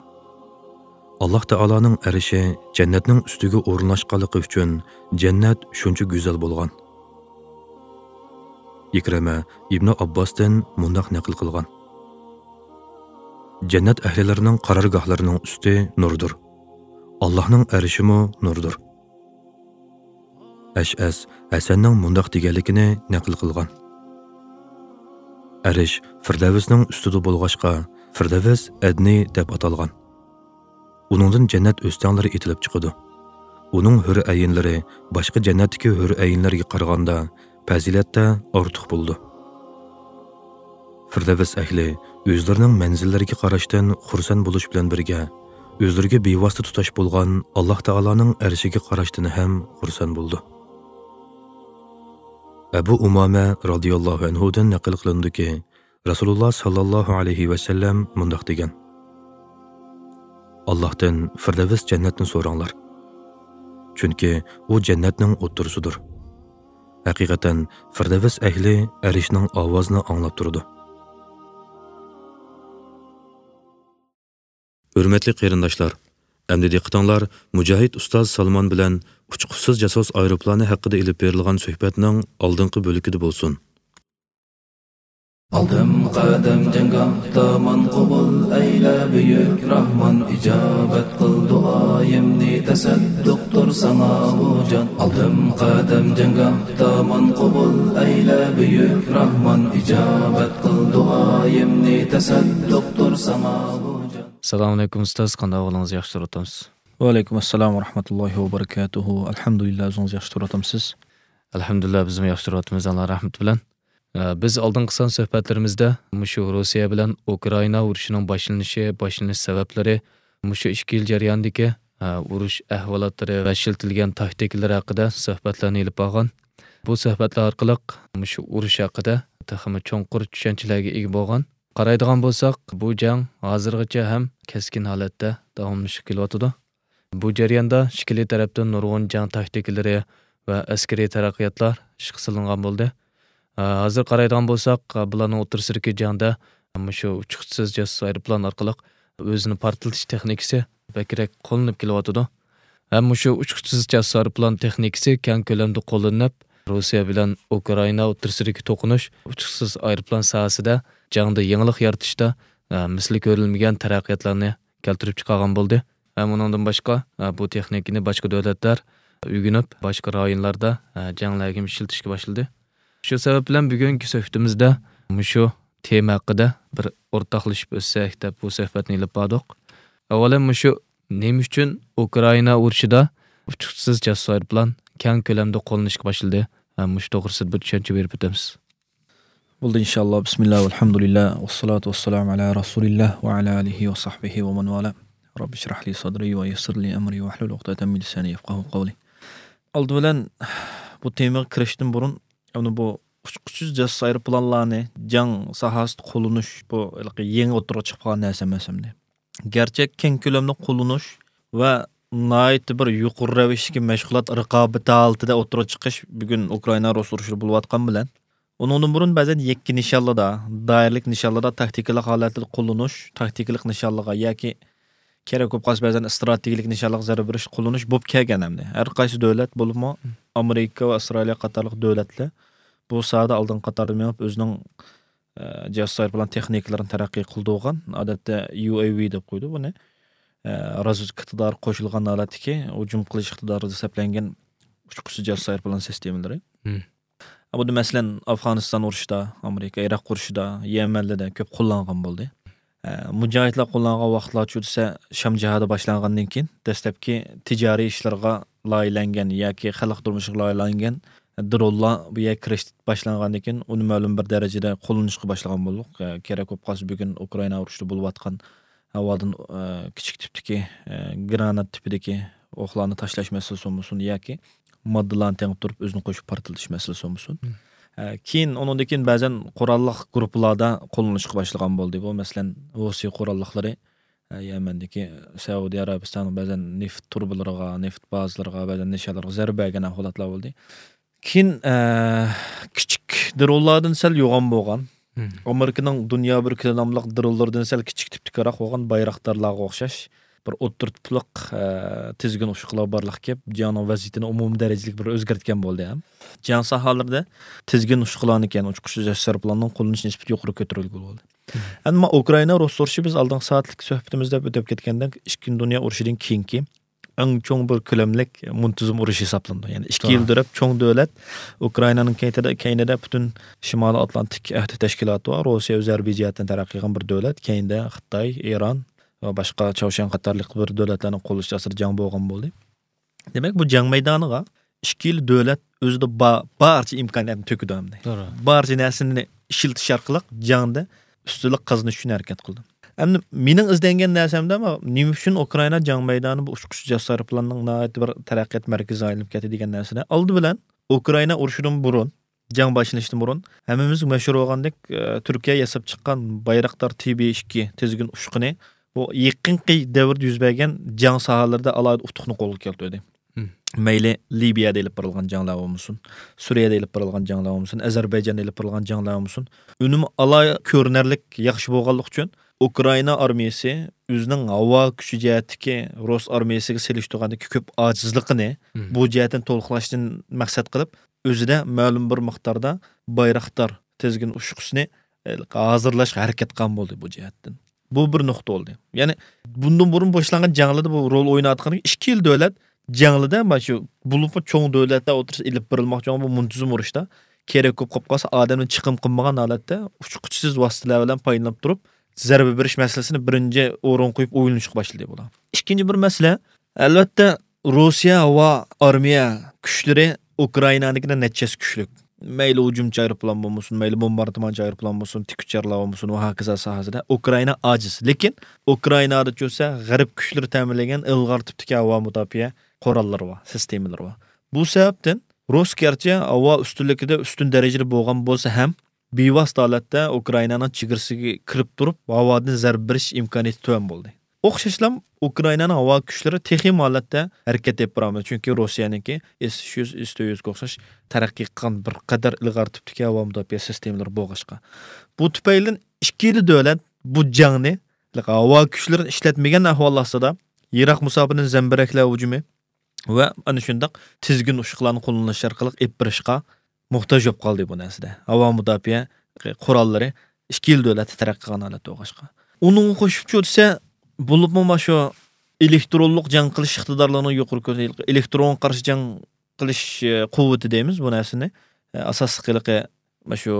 ئاللاھ تائالانىڭ ئەرشى جەننەتنىڭ ئۈستىگە ئورۇنلاشقانلىقى ئۈچۈن جەننەت شۇنچە گۈزەل بولغان. ئىكرىمە ئىبنى ئابباستىن مۇنداق نەقىل قىلغان: جەننەت ئەھلىلىرىنىڭ قارارگاھلىرىنىڭ ئۈستى نۇردۇر. ئاللاھنىڭ ئەرشىمۇ نۇردۇر. ئەشئەس ھەسەننىڭ مۇنداق دېگەنلىكىنى نەقىل قىلغان: ئەرش فىردەۋسنىڭ ئۈستىدە بولغاچقا، فىردەۋس ئەدنى دەپ ئاتالغان. ئۇنىڭدىن جەننەت ئۆستەڭلىرى ئېتىلىپ چىقىدۇ. ئۇنىڭ ھۆر ئەينلىرى باشقا جەننەتتىكى ھۆر ئەينلەرگە قارىغاندا پەزىلەتتە ئارتۇق بولىدۇ. فىردەۋس ئەھلى ئۆزلىرىنىڭ مەنزىللىرىگە قاراشتىن خۇرسەن بولۇش بىلەن بىرگە، ئۆزلىرىگە بىۋاسىتە تۇتاش بولغان ئاللاھ تائالانىڭ ئەرشىگە قاراشتىن ھەم خۇرسەن بولىدۇ. ئەبۇ ئۇمامە رازىياللاھۇ ئەنھۇدىن نەقىل قىلىنىدۇكى، رەسۇلۇللاھ ساللاللاھۇ ئەلەيھى ۋەسەللەم مۇنداق دېگەن: ئاللاھتىن فىردەۋس جەننەتنى سوراڭلار. چۈنكى ئۇ جەننەتنىڭ ئوتتۇرىسىدۇر. ھەقىقەتەن، فىردەۋس ئەھلى ئەرشنىڭ ئاۋازىنى ئاڭلاپ تۇرىدۇ. ھۆرمەتلىك قېرىنداشلار، ئەمدى دىققىتىڭلار مۇجاھىد ئۇستاز سالمان بىلەن ئۇچقۇچىسىز جاسۇس ئايروپىلانى ھەققىدە ئېلىپ بېرىلغان سۆھبەتنىڭ ئالدىنقى بۆلىكىدە بولسۇن. ئالدىم قەدەم جەڭگاھتا ماڭا قوبۇل ئەيلە بۈيۈك راھمان، ئىجابەت قىل دۇئايىمنى، تەسەددۇقتۇر ساڭا بۇ جان. ئالدىم قەدەم جەڭگاھتا ماڭا قوبۇل ئەيلە بۈيۈك راھمان، ئىجابەت قىل دۇئايىمنى، تەسەددۇقتۇر ساڭا بۇ جان. ئەسسالامۇ ئەلەيكۇم ئۇستاز، قانداق ئەھۋالىڭىز، ياخشى تۇرۇۋاتامسىز؟ ۋەئەلەيكۇم ئەسسالام ۋە رەھمەتۇللاھى ۋە بەرىكاتۇھۇ. ئەلھەمدۇلىللا، ئۆزىڭىز ياخشى تۇرۇۋاتامسىز؟ ئەلھەمدۇلىللا، بىزمۇ ياخشى تۇرۇۋاتىمىز، ئاللا رەھمىتى بىلەن. ئە، بىز ئالدىنقى سان سۆھبەتلىرىمىزدە مۇشۇ روسىيە بىلەن ئۇكرائىنا ئۇرۇشىنىڭ باشلىنىشى، باشلىنىش سەۋەبلىرى، مۇشۇ ئىككى يىل جەريانىدىكى، ئە، ئۇرۇش ئەھۋالاتلىرى ۋە ئىشلىتىلگەن تاكتىكىلىرى ھەققىدە سۆھبەتلەرنى ئېلىپ بارغان. بۇ سۆھبەتلەر ئارقىلىق مۇشۇ ئۇرۇش ھەققىدە تېخىمۇ چوڭقۇر چۈشەنچىلەرگە ئىگە بولغان. قارايدىغان بولساق، بۇ جەڭ ھازىرغىچە ھەم كەسكىن ھالەتتە داۋاملىشىپ كېلىۋاتىدۇ. بۇ جەرياندا ئىككىلى تەرەپتىن نۇرغۇن جەڭ تاكتىكىلىرى ۋە ئەسكىرىي تەرەققىياتلار ئىشقا سېلىنغان بولدى. ھازىر قارايدىغان بولساق، بۇلارنىڭ ئوتتۇرىسىدىكى جەڭدە مۇشۇ ئۇچقۇچىسىز جاسۇس ئايروپىلان ئارقىلىق ئۆزىنى پارتلىتىش تېخنىكىسى بەكرەك قوللىنىپ كېلىۋاتىدۇ. ھەم مۇشۇ ئۇچقۇچىسىز جاسۇس ئايروپىلان تېخنىكىسى كەڭ كۆلەمدە قوللىنىپ، روسىيە بىلەن ئۇكرائىنا ئوتتۇرىسىدىكى توقۇنۇش ئۇچقۇچىسىز ئايروپىلان ساھەسىدە جەڭدە يېڭىلىق يارىتىشتا، ئە، مىسلى كۆرۈلمىگەن تەرەققىياتلارنى كەلتۈرۈپ چىقارغان بولدى. ھەم ئۇنىڭدىن باشقا، ئە، بۇ تېخنىكىنى باشقا دۆلەتلەر ئۆگىنىپ، باشقا رايونلاردا، ئە، جەڭلەرگە ئىشلىتىشكە باشلىدى. شۇ سەۋەب بىلەن بۈگۈنكى سۆھبىتىمىزدە مۇشۇ تېما ھەققىدە بىر ئورتاقلىشىپ ئۆتسەك دەپ بۇ سۆھبەتنى ئېلىپ باردۇق. ئاۋۋالەن مۇشۇ نېمە ئۈچۈن ئۇكرائىنا ئۇرۇشىدا ئۇچقۇچىسىز جاسۇس ئايروپىلان كەڭ كۆلەمدە قوللىنىشقا باشلىدى؟ ھەم مۇشۇ توغرىسىدا بىر چۈشەنچە بېرىپ ئۆتەمسىز. بولدى، ئىنشاللا. بىسمىللا، ۋەلھەمدۇلىللا، ۋەسسالاتۇ ۋەسسالامۇ ئەلا رەسۇلىللا ۋە ئەلا ئالىھى ۋە سەھبىھى ۋە مەن ۋالا. رەببىشرەھلى سەدرى ۋە يەسسىرلى ئەمرى ۋەھلۇل ئۇقدەتەن مىن لىسانى يەفقەھۇ قەۋلى. ئالدى بىلەن بۇ تېمىغا كىرىشتىن بۇرۇن، يەنى بۇ ئۇچقۇچىسىز جاسۇس ئايروپىلانلارنى جەڭ ساھەسىدە قوللىنىش، بۇ ھېلىقى يېڭى ئوتتۇرىغا چىقىپ قالغان نەرسە ئەمەس ئەمدى. گەرچە كەڭ كۆلەمدە قوللىنىش ۋە ناھايىتى بىر يۇقىرى رەۋىشتىكى مەشغۇلات رىقابىتى ھالىتىدە ئوتتۇرىغا چىقىش بۈگۈن ئۇكرائىنا رۇس ئۇرۇشىدا بولۇۋاتقان بىلەن، ئۇنىڭدىن بۇرۇن بەزەن يەككە نىشانلىدا، دائىرىلىك نىشانلىدا تاكتىكىلىق ھالەتتە قوللىنىش، تاكتىكىلىق نىشانلىغا ياكى كېرەك بولۇپ قالسا بەزەن ئىستراتېگىيەلىك نىشانلىق زەربە بېرىش قوللىنىش بولۇپ كەلگەن ئەمدى. ھەر قايسى دۆلەت، بولۇپمۇ ئامېرىكا ۋە ئىسرائىلىيە قاتارلىق دۆلەتلەر بۇ ساھەدە ئالدىنقى قاتاردا مېڭىپ، ئۆزىنىڭ، ئە، جاسۇس ئايروپىلان تېخنىكىلىرىنى تەرەققىي قىلدۇرغان. ئادەتتە يۇ ئەي ۋى دەپ قويىدۇ بۇنى. ئە، رازۋېدكا ئىقتىدارى قوشۇلغان ھالەتتىكى ھۇجۇم قىلىش ئىقتىدارىدا سەپلەنگەن ئۇچقۇچىسىز جاسۇس ئايروپىلان سىستېمىلىرى. مم. بۇ، مەسىلەن، ئافغانىستان ئۇرۇشىدا، ئامېرىكا ئىراق ئۇرۇشىدا، يەمەنلەردە كۆپ قوللانغان بولدى. ئە، مۇجاھىدلار قوللانغان ۋاقىتلارچۇ دېسە، شام جىھادى باشلانغاندىن كېيىن دەسلەپكى تىجارىي ئىشلارغا لايىھەلەنگەن ياكى خەلق تۇرمۇشىغا لايىھەلەنگەن درونلار بۇ يەرگە كىرىش باشلانغاندىن كېيىن، ئۇنى مەلۇم بىر دەرىجىدە قوللىنىشقا باشلىغان بولدۇق. ئە، كېرەك بولۇپ قالسا، بۈگۈن ئۇكرائىنا ئۇرۇشىدا بولۇۋاتقان ھاۋادىن، ئە، كىچىك تىپتىكى، ئە، گرانات تىپىدىكى ئوقلارنى تاشلاش مەسىلىسى بولمىسۇن ياكى ماددىلارنى تېڭىپ تۇرۇپ ئۆزىنى قوشۇپ پارتلىتىش مەسىلىسى بولمىسۇن. مم. ئە، كېيىن، ئۇنىڭدىن كېيىن بەزەن قوراللىق گۇرۇپپىلاردا قوللىنىشقا باشلىغان بولدى. بۇ، مەسىلەن، روسىيە قوراللىقلىرى، ئە، يەمەندىكى سەئۇدى ئەرەبىستاننىڭ بەزەن نېفىت تۇرۇبىلىرىغا، نېفىت بازىلىرىغا بەزەن نىشانلارغا زەربە بەرگەن ھالەتلەر بولدى. كېيىن، ئە، كىچىك درونلاردىن سەل يوغان بولغان، مم. ئامېرىكىنىڭ دۇنيا بىرلىكى ناملىق درونلىرىدىن سەل كىچىك تىپتىكىراق بولغان بايراقدارلارغا ئوخشاش بىر ئوتتۇرا تىپلىق، ئە، تىزگىن ئۇچقۇلار بارلىققا كېلىپ، جەڭنىڭ ۋەزىيىتىنى ئومۇمىي دەرىجىلىك بىر ئۆزگەرتكەن بولدى ھەم. جەڭ ساھەلىرىدە تىزگىن ئۇچقۇلارنى، يەنى ئۇچقۇچىسىز جاسۇس ئايروپىلاننىڭ قوللىنىش نىسبىتى يۇقىرى كۆتۈرۈلگىلى بولدى. مم. ئەمما ئۇكرائىنا رۇس ئۇرۇشى، بىز ئالدىنقى سائەتلىك سۆھبىتىمىزدە ئۆتۈپ كەتكەندەك، ئىككىنچى دۇنيا ئۇرۇشىدىن كېيىنكى ئەڭ چوڭ بىر كۆلەملىك مۇنتىزىم ئۇرۇش ھېسابلىنىدۇ. يەنى ئىككى يىل توغرا. دەپ چوڭ دۆلەت ئۇكرائىنانىڭ كەينىدە، كەينىدە پۈتۈن شىمالىي ئاتلانتىك ئەھدى تەشكىلاتى بار. روسىيە ئۆزى ھەربىي جەھەتتىن تەرەققىي قىلغان بىر دۆلەت. كەينىدە خىتاي، ئىران ۋە باشقا چاۋشيەن قاتارلىق بىر دۆلەتلەرنىڭ قوللىشى ئاستىدا جەڭ بولغان بولدى. دېمەك، بۇ جەڭ مەيدانىغا ئىككى يىل دۆلەت ئۆزىدە با-، بارچە ئىمكانىيەتنى تۆكىدۇ ئەمدى. توغرا. بارچە نەرسىنى ئىشلىتىش ئارقىلىق جەڭدە ئۈستۈنلۈك قازىنىش ئۈچۈن ھەرىكەت قىلدى. ئەمدى مېنىڭ ئىزدەنگەن نەرسەمدە، نېمە ئۈچۈن ئۇكرائىنا جەڭ مەيدانى بۇ ئۇچقۇچىسىز جاسۇس ئايروپىلاننىڭ ناھايىتى بىر تەرەققىيات مەركىزىگە ئايلىنىپ كەتتى دېگەن نەرسىدە، ئالدى بىلەن ئۇكرائىنا ئۇرۇشىدىن بۇرۇن، جەڭ باشلىنىشتىن بۇرۇن ھەممىمىزگە مەشھۇر بولغاندەك، ئە، تۈركىيە ياساپ چىققان بايراقدار تى بى ئىككى تىزگىن ئۇچقۇنى بۇ يېقىنقى دەۋردە يۈز بەرگەن جەڭ ساھەلىرىدە ئالاھىدە ئۇتۇقنى قولغا كەلتۈردى. مم. مەيلى لىبىيەدە ئېلىپ بېرىلغان جەڭلەر بولمىسۇن، سۈرىيەدە ئېلىپ بېرىلغان جەڭلەر بولمىسۇن، ئەزەربەيجاندا ئېلىپ بېرىلغان جەڭلەر بولمىسۇن، ئۈنۈمى ئالاھىدە كۆرۈنەرلىك ياخشى بولغانلىقى ئۈچۈن ئۇكرائىنا ئارمىيىسى ئۆزىنىڭ ھاۋا كۈچى جەھەتتىكى رۇس ئارمىيىسىگە سېلىشتۇرغاندىكى كۆپ ئاجىزلىقىنى مم. بۇ جەھەتتىن تولۇقلاشتىن مەقسەت قىلىپ، ئۆزىدە مەلۇم بىر مىقداردا بايراقدار تىزگىن ئۇچقۇسىنى، ئە، ھازىرلاشقا ھەرىكەت قىلغان بولدى بۇ جەھەتتىن. بۇ بىر نۇقتا بولدى. يەنى بۇندىن بۇرۇن باشلانغان جەڭلەردە بۇ رول ئويناۋاتقان ئىككى يىل دۆلەت جەڭلىدە، مانا شۇ بولۇپمۇ چوڭ دۆلەتلەر ئوتتۇرىسىدا ئېلىپ بېرىلماقچى بولغان بۇ مۇنتىزىم ئۇرۇشتا كېرەك بولۇپ قالسا ئادەمنى چىقىم قىلمىغان ھالەتتە ئۇچقۇچىسىز ۋاسىتىلەر بىلەن پايدىلىنىپ تۇرۇپ، زەربە بېرىش مەسىلىسىنى بىرىنچى ئورۇنغا قويۇپ ئويلىنىشقا باشلىدى بۇلار. ئىككىنچى بىر مەسىلە، ئەلۋەتتە، روسىيە ھاۋا ئارمىيە كۈچلىرى ئۇكرائىنانىڭكىدىن نەچچە ھەسسە كۈچلۈك. مەيلى ھۇجۇمچى ئايروپىلان بولمىسۇن، مەيلى بومباردىمانچى ئايروپىلان بولسۇن، تىك ئۇچارلار بولمىسۇن ۋە ھاكازا ساھەسىدە ئۇكرائىنا ئاجىز. لېكىن ئۇكرائىنادا چۈشسە غەرب كۈچلىرى تەمىنلىگەن ئىلغار تىپتىكى ھاۋا مۇداپىئە قوراللىرى بار، سىستېمىلىرى بار. بۇ سەۋەبتىن رۇس گەرچە ھاۋا ئۈستۈنلۈكىدە ئۈستۈن دەرىجىدە بولغان بولسا ھەم، بىۋاسىتە ھالەتتە ئۇكرائىنانىڭ چېگرىسىگە كىرىپ تۇرۇپ، ھاۋادىن زەربە بېرىش ئىمكانىيىتى تۆۋەن بولدى. ئوخشاشلا ئۇكرائىنانىڭ ھاۋا كۈچلىرى تېخىمۇ ھالەتتە ھەرىكەت ئېلىپ بارالمىدى، چۈنكى روسىيەنىڭكى ئېس ئۈچ يۈز، ئېس تۆت يۈزگە ئوخشاش تەرەققىي قىلغان بىر قەدەر ئىلغار تىپتىكى ھاۋا مۇداپىئە سىستېمىلىرى بولغاچقا. بۇ تۈپەيلىدىن ئىككىلا دۆلەت بۇ جەڭنى ھاۋا كۈچلىرىنى ئىشلەتمىگەن ئەھۋال ئاستىدا يىراق مۇساپىدىن زەمبىرەكلەر ھۇجۇمى ۋە ئەنە شۇنداق تىزگىن ئۇششۇقلارنى قوللىنىش ئارقىلىق ئېلىپ بېرىشقا موھتاج بولۇپ قالدى بۇ نەرسىدە. ھاۋا مۇداپىئە قوراللىرى ئىككى يىل دۆلەتتە تەرەققىي قىلغان ھالەتتە بولغاچقا. ئۇنىڭغا قوشۇپچۇ دېسە، بولۇپمۇ مانا شۇ ئېلېكترونلۇق جەڭ قىلىش ئىقتىدارلىرىنىڭ يۇقىرى كۆتۈرۈلۈشى، ئېلېكترونغا قارشى جەڭ قىلىش، ئە، قۇۋۋىتى دەيمىز بۇ نەرسىنى. ئە، ئاساسلىق ھېلىقى مانا شۇ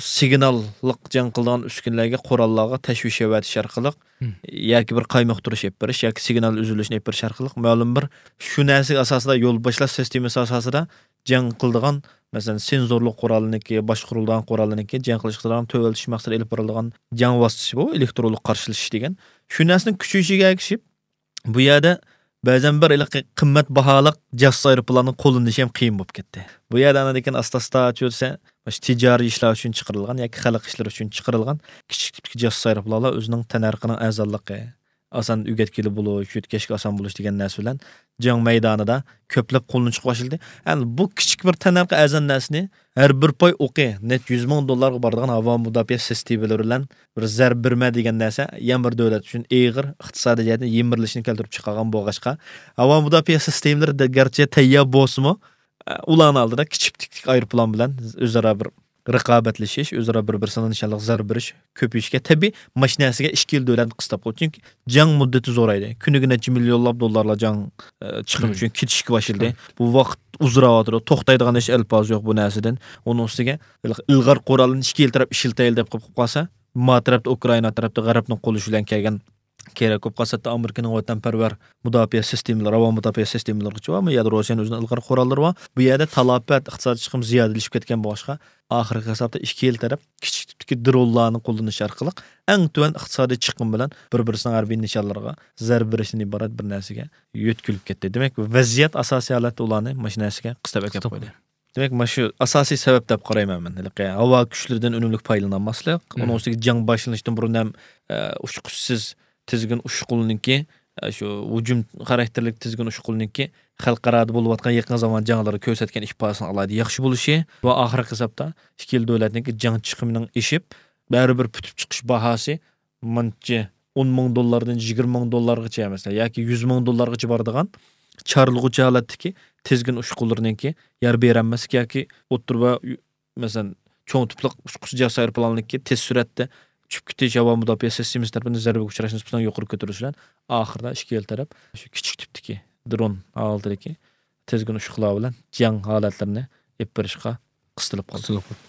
سىگناللىق جەڭ قىلىدىغان ئۈسكۈنىلەرگە، قوراللارغا تەشۋىش يېتىش ئارقىلىق، مم. ياكى بىر قايمۇقتۇرۇش ئېلىپ بېرىش ياكى سىگنال ئۈزۈلۈشىنى ئېلىپ بېرىش ئارقىلىق مەلۇم بىر شۇ نەرسىگە ئاساسىدا، يول باشلاش سىستېمىسى ئاساسىدا جەڭ قىلىدىغان، مەسىلەن، سېنزورلۇق قورالنىڭكى، باشقۇرۇلىدىغان قورالنىڭكى جەڭ قىلىش ئىقتىدارىنى تۆۋەنلىتىش مەقسىتىدە ئېلىپ بېرىلىدىغان جەڭ ۋاسىتىسى بۇ، ئېلېكترونلۇق قارشىلىشىش دېگەن. شۇ نەرسىنىڭ كۈچىيىشىگە ئەگىشىپ، بۇ يەردە بەزەن بىر ھېلىقى قىممەت باھالىق جاسۇس ئايروپىلاننى قوللىنىشى ھەم قىيىن بولۇپ كەتتى. بۇ يەردە ئاندىن كېيىن ئاستا-ئاستا چۈشۈرسە، مۇشۇ تىجارىي ئىشلار ئۈچۈن چىقىرىلغان ياكى خەلق ئىشلىرى ئۈچۈن چىقىرىلغان كىچىك تىپتىكى جاسۇس ئايروپىلانلار ئۆزىنىڭ تەننەرخىنىڭ ئەرزانلىقى، ئاسان ئۆگەتكىلى بولۇش، يۆتكەشكە ئاسان بولۇش دېگەن نەرسە بىلەن جەڭ مەيدانىدا كۆپلەپ قوللىنىشقا باشلىدى. ئەمدى بۇ كىچىك بىر تەننەرخى ئەرزان نەرسىنى ھەر بىر پاي ئوقى نەچچە يۈز مىڭ دوللارغا بارىدىغان ھاۋا مۇداپىئە سىستېمىلىرى بىلەن بىر زەربە بېرىمەن دېگەن نەرسە يەنە بىر دۆلەت ئۈچۈن ئېغىر ئىقتىسادىي جەھەتتىن يىمىرىلىشنى كەلتۈرۈپ چىقارغان بولغاچقا، ھاۋا مۇداپىئە سىستېمىلىرى دە-، گەرچە تەييار بولسىمۇ، ئە، ئۇلارنىڭ ئالدىدا كىچىك تىپتىكى ئايروپىلان بىلەن ئۆزئارا بىر رىقابەتلىشىش، ئۆزئارا بىر-، بىرسىنىڭ نىشانلىق زەربە بېرىش كۆپىيىشكە تەبىئىي، مانا شۇ نەرسىگە ئىككى يىل دۆلەتنى قىستاپ قويدى. چۈنكى جەڭ مۇددىتى زورايدى. كۈنىگە نەچچە مىليونلاپ دوللارلار جەڭ، ئە، چىقىمى مم. ئۈچۈن كېتىشكە باشلىدى. بۇ ۋاقىت ئۇزىراۋاتىدۇ. توختايدىغان ھېچ ئەلپاز يوق بۇ نەرسىدىن. ئۇنىڭ ئۈستىگە ئىلغار قورالنى ئىككى يىل تەرەپ ئىشلىتەيلى دەپ قېلىپ قالسا، ما تەرەپتە ئۇكرائىنا تەرەپتە غەربنىڭ قوللىشى بىلەن كەلگەن كېرەك بولۇپ قالسا، ھەتتا ئامېرىكىنىڭ ۋەتەنپەرۋەر مۇداپىئە سىستېمىلىرى، ھاۋا مۇداپىئە سىستېمىلىرىغىچە بار. بۇ يەردە روسىيەنىڭ ئۆزىنىڭ ئىلغار قوراللىرى بار. بۇ يەردە تالاپەت، ئىقتىسادىي چىقىم زىيادىلىشىپ كەتكەن بولغاچقا، ئاخىرقى ھېسابتا ئىككى يىل تەرەپ كىچىك تىپتىكى درونلارنى قوللىنىش ئارقىلىق ئەڭ تۆۋەن ئىقتىسادىي چىقىم بىلەن بىر-بىرسىنىڭ ھەربىي نىشانلىرىغا زەربە بېرىشتىن ئىبارەت بىر نەرسىگە يۆتكىلىپ كەتتى. دېمەك، ۋەزىيەت ئاساسىي ھالەتتە ئۇلارنى مانا شۇ نەرسىگە قىستاپ ئەكەپ قويدى. دېمەك، مانا شۇ ئاساسىي سەۋەب دەپ قارايمەن مەن. ھېلىقى ھاۋا كۈچلىرىدىن ئۈنۈملۈك پايدىلىنالماسلىق، مم. ئۇنىڭ ئۈستىگە جەڭ باشلىنىشتىن بۇرۇن ھەم، ئە، ئۇچقۇچسىز تىزگىن ئۇششۇق قولىنىڭكى، ئە، شۇ ھۇجۇم خاراكتېرلىك تىزگىن ئۇششۇق قولىنىڭكى خەلقئارادا بولۇۋاتقان يېقىن زامان جەڭلىرى كۆرسەتكەن ئىپادىسىنىڭ ئالاھىدە ياخشى بولۇشى ۋە ئاخىرقى ھېسابتا ئىككى يىل دۆلەتنىڭكى جەڭ چىقىمىنىڭ ئېشىپ، بەرىبىر پۈتۈپ چىقىش باھاسى مانچە ئون مىڭ دوللاردىن يىگىرمە مىڭ دوللارغىچە، مەسىلەن، ياكى يۈز مىڭ دوللارغىچە بارىدىغان چارلىغۇچى ھالەتتىكى تىزگىن ئۇششۇقلىرىنىڭكى يار بېرەلمەسلىك ياكى ئوتتۇرا ۋە، مەسىلەن، چوڭ تىپلىق ئۇچقۇچى جاسۇس ئايروپىلانلىكى تېز سۈرئەتتە ئۇچۇپ كېتىش، ھاۋا مۇداپىئە سىستېمىسى تەرىپىدىن زەربىگە ئۇچراش نىسبىتىنىڭ يۇقىرى كۆتۈرۈلۈشى بىلەن ئاخىرىدا ئىككى يىل تەرەپ شۇ كىچىك تىپتىكى درون ھالىتىدىكى تىزگىن ئۇششۇقلار بىلەن جەڭ ھالەتلىرىنى ئېلىپ بېرىشقا قىستىلىپ قالدى. قىستىلىپ قالدى.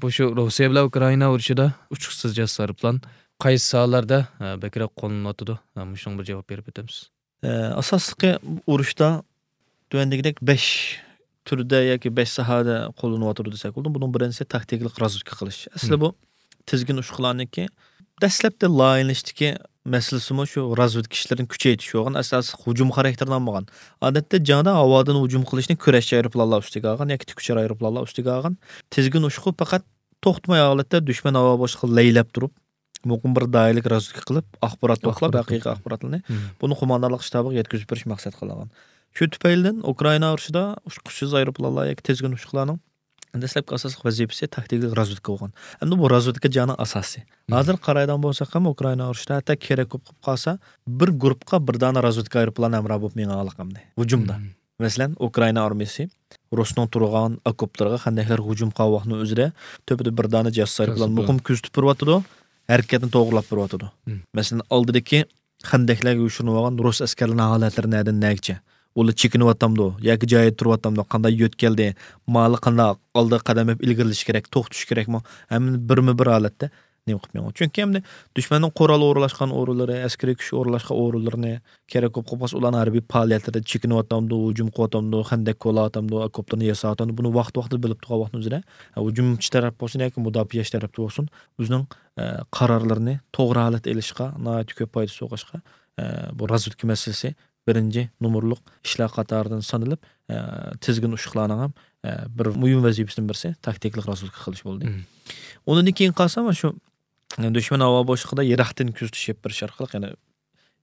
بۇ شۇ روسىيە بىلەن ئۇكرائىنا ئۇرۇشىدا ئۇچقۇچسىز جاسۇس ئايروپىلان قايسى ساھەلەردە، ئە، بەكرەك قوللىنىلىۋاتىدۇ؟ ئە، مۇشۇنىڭغا بىر جاۋاب بېرىپ ئۆتەمسىز. ئە، ئاساسلىقى ئۇرۇشتا تۆۋەندىكىدەك بەش تۈردە ياكى بەش ساھەدە قوللىنىلىۋاتىدۇ دېسەك بولىدۇ. بۇنىڭ بىرىنچىسى تاكتىكىلىق رازۋېدكا قىلىش. ئەسلى مم. بۇ تىزگىن ئۇششۇقلارنىڭكى دەسلەپتە لايىھەلىنىشتىكى مەسىلىسىمۇ شۇ رازۋېدكا ئىشلىرىنى كۈچەيتىش بولغان، ئاساسلىق ھۇجۇم خاراكتېرىنى ئالمىغان. ئادەتتە جەڭدە ھاۋادىن ھۇجۇم قىلىشنى كۈرەشچى ئايروپىلانلار ئۈستىگە ئالغان ياكى تىكئۇچار ئايروپىلانلار ئۈستىگە ئالغان. تىزگىن ئۇششۇقى پەقەت توختىماي ھالەتتە دۈشمەن ھاۋا بوشلۇقىغا لەيلەپ تۇرۇپ، مۇقىم بىر دائىرىلىك رازۋېدكا قىلىپ، ئاخبارات توپلاپ، ئاخبارات ھەقىقىي توپلاپ. ئاخباراتلارنى مم. بۇنى قوماندانلىق شتابىغا يەتكۈزۈپ بېرىش مەقسەت قىلىنغان. شۇ تۈپەيلىدىن ئۇكرائىنا ئۇرۇشىدا ئۇچقۇچسىز ئايروپىلانلار ياكى تىزگىن ئۇششۇقلارنىڭ دەسلەپكى ئاساسلىق ۋەزىپىسى تاكتىكىلىق رازۋېدكا بولغان. ئەمدى بۇ رازۋېدكا جەڭنىڭ ئاساسى. مم. ھازىر قارايدىغان بولساق ھەم ئۇكرائىنا ئۇرۇشىدا ھەتتا كېرەك بولۇپ قالسا، بىر گۇرۇپپىغا بىر دانە رازۋېدكا ئايروپىلانى ھەمراھ بولۇپ مېڭىۋالىدۇ ئەمدى ھۇجۇمدا. مم. مەسىلەن، ئۇكرائىنا ئارمىيىسى رۇسنىڭ تۇرغان ئوكوپلىرىغا، خەندەكلەرگە ھۇجۇم قىلغان ۋاقتىنىڭ ئۆزىدە تۆپىدە بىر دانە جاسۇس ئايروپىلان جاسۇس مۇقىم كۆزىتىپ بېرىۋاتىدۇ، ھەرىكەتنى توغرىلاپ بېرىۋاتىدۇ. مم. مەسىلەن، ئالدىدىكى خەندەكلەرگە يوشۇرۇنۇۋالغان رۇس ئەسكەرلىرىنىڭ ھالەتلىرى نەدىن نەگىچە؟ ئۇلار چېكىنىۋاتامدۇ ياكى جايىدا تۇرۇۋاتامدۇ؟ قانداق يۆتكەلدى؟ مالى قانداق ئالدىغا قەدەم بېرىپ ئىلگىرىلىشى كېرەك، توختىشى كېرەكمۇ؟ ھەممىنى بىرمۇ بىر ھالەتتە نېمە قىلىپ مېڭىدۇ؟ چۈنكى ئەمدى دۈشمەننىڭ قورال ئورۇنلاشقان ئورۇنلىرى، ئەسكىرىي كۈچ ئورۇنلاشقان ئورۇنلىرىنى، كېرەك بولۇپ قالسا ئۇلارنىڭ ھەربىي پائالىيەتلىرىدە چېكىنىۋاتامدۇ، ھۇجۇم قىلىۋاتامدۇ، خەندەك كولاۋاتامدۇ، ئوكوپلىرىنى ياساۋاتامدۇ، بۇنى ۋاقىت-ۋاقتىدا بىلىپ تۇرغان ۋاقتىنىڭ ئۆزىدە، ھە، ھۇجۇمچى تەرەپ بولسۇن ياكى مۇداپىئەچى تەرەپتە بولسۇن، ئۆزىنىڭ، ئە، قارارلىرىنى توغرا ھالەتتە ئېلىشقا ناھايىتى كۆپ پايدىسى بولغاچقا، ئە، بۇ رازۋېدكا مەسىلىسى بىرىنچى نومۇرلۇق ئىشلار قاتارىدىن سانىلىپ، ئە، تىزگىن ئۇششۇقلارنىڭ ھەم، ئە، بىر مۇھىم ۋەزىپىسىدىن بىرسى تاكتىكىلىق رازۋېدكا قىلىش بولدى. مم. ئۇنىڭدىن كېيىن قالسا، مانا شۇ دۈشمەن ھاۋا بوشلۇقىدا يىراقتىن كۆزىتىش ئېلىپ بېرىش ئارقىلىق، يەنە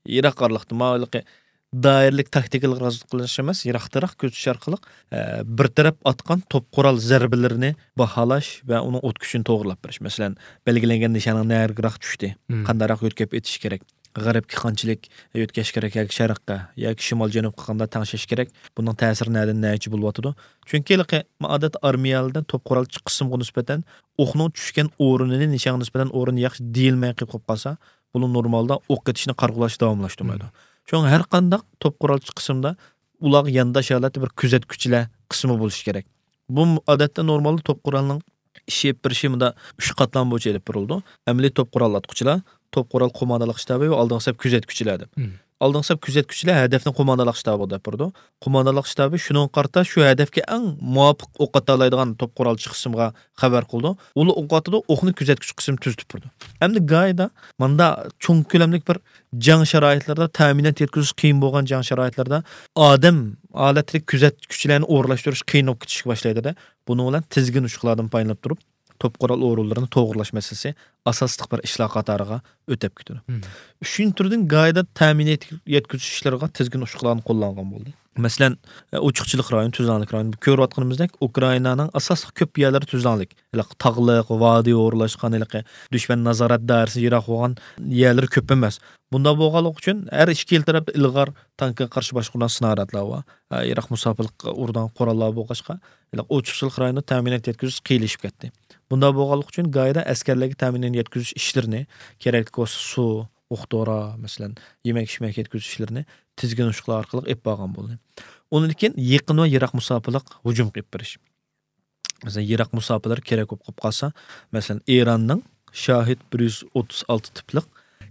يىراق ئارىلىقتا، ماۋۇ ھېلىقى دائىرىلىك تاكتىكىلىق رازۋېدكا قىلىش ئەمەس، يىراقتىراق كۆزىتىش ئارقىلىق، ئە، بىر تەرەپ ئاتقان توپ قورال زەربىلىرىنى باھالاش ۋە ئۇنىڭ ئوت كۈچىنى توغرىلاپ بېرىش. مەسىلەن، بەلگىلەنگەن نىشاننىڭ نەگىراق چۈشتى، مم. قانداقراق يۆتكەپ ئېتىش كېرەك، غەربكە قانچىلىك يۆتكەش كېرەك ياكى شەرققە ياكى شىمال جەنۇبقا قانداق تەڭشەش كېرەك، بۇنىڭ تەسىرى نەدىن نەچە بولۇۋاتىدۇ؟ چۈنكى ھېلىقى ئادەتتە ئارمىيەلەردە توپ قورال چىقىشىمغا نىسبەتەن ئوقنىڭ چۈشكەن ئورنىنى، نىشانغا نىسبەتەن ئورنىنى ياخشى دېيەلمەي قېلىپ قالسا، بۇلار نورمالدا ئوق ئېتىشنى، قارا قوغلاشنى داۋاملاشتۇرمايدۇ. مم. شۇڭا ھەر قانداق توپ قورال چىقىشىمدا ئۇلارغا يانداش ھالەتتە بىر كۆزەتكۈچىلەر قىسمى بولۇشى كېرەك. بۇ ئادەتتە نورمالدا توپ قورالنىڭ ئىش ئېلىپ بېرىشى مۇندا ئۈچ قاتلام بويىچە ئېلىپ بېرىلىدۇ. ئەمەلىي توپ قورال ئاتقۇچىلار، توپ قورال قوماندانلىق شتابى ۋە ئالدىنقى سەپ كۆزەتكۈچىلەر دەپ. مم. ئالدىنقى سەپ كۆزەتكۈچىلەر ھەدەفنى قوماندانلىق شتابىغا دەپ بېرىدۇ. قوماندانلىق شتابى شۇنىڭغا قارىتا شۇ ھەدەپكە ئەڭ مۇۋاپىق ئوق ئاتالايدىغان توپ قورال چىقىشىمغا خەۋەر قىلىدۇ. ئۇلار ئوق ئاتىدۇ، ئوقنى كۆزەتكۈچى قىسىم تۈزىتىپ بېرىدۇ. ئەمدى گايدا ماندا چوڭ كۆلەملىك بىر جەڭ شارائىتلىرىدا، تەمىنات يەتكۈزۈش قىيىن بولغان جەڭ شارائىتلىرىدا ئادەم ھالەتتىكى كۆزەتكۈچىلەرنى ئورۇنلاشتۇرۇش قىيىن بولۇپ كېتىشكە باشلايدۇ-دە. بۇنىڭ بىلەن تىزگىن ئوشۇقلاردىن پايدىلىنىپ تۇرۇپ، توپ قورال ئورۇنلىرىنى توغرىلاش مەسىلىسى ئاساسلىق بىر ئىشلار قاتارىغا ئۆتۈپ كېتىدۇ. مم. ئۈچىنچى تۈردىن گايدا تەمىنات يەتكۈزۈش ئىشلىرىغا تىزگىن ئوشۇقلارنى قوللانغان بولدى. مەسىلەن، ئوچۇقچىلىق رايونى، تۈزلەڭلىك رايونى. بۇ كۆرۈۋاتقىنىمىزدەك ئۇكرائىنانىڭ ئاساسلىق كۆپ يەرلىرى تۈزلەڭلىك. ھېلىقى تاغلىق، ۋادىي ئورۇنلاشقان، ھېلىقى دۈشمەن نازارەت دائىرىسى يىراق بولغان يەرلىرى كۆپ ئەمەس. بۇنداق بولغانلىقى ئۈچۈن ھەر ئىككىلا تەرەپتە ئىلغار تانكىغا قارشى باشقۇرۇلغان سناريادلار بار. ھە، يىراق مۇساپىلىققا ئۇرىدىغان قوراللار بولغاچقا، ھېلىقى ئوچۇقچىلىق رايونىدا تەمىنات يەتكۈزۈش قىيىنلىشىپ كەتتى. بۇنداق بولغانلىقى ئۈچۈن گايدا ئەسكەرلەرگە تەمىنات يەتكۈزۈش ئىشلىرىنى، كېرەكلىك بولسا سۇ، ئوق دورا، مەسىلەن، يېمەك-ئىچمەك يەتكۈزۈش ئىشلىرىنى تىزگىن ئوشۇقلار ئارقىلىق ئېلىپ بارغان بولدى. ئۇنىڭدىن كېيىن يېقىن ۋە يىراق مۇساپىلىق ھۇجۇمغا ئېلىپ بېرىش. مەسىلەن، يىراق مۇساپىلەر كېرەك بولۇپ قالسا، مەسىلەن، ئىراننىڭ شاھىد بىر يۈز ئوتتۇز ئالتە تىپلىق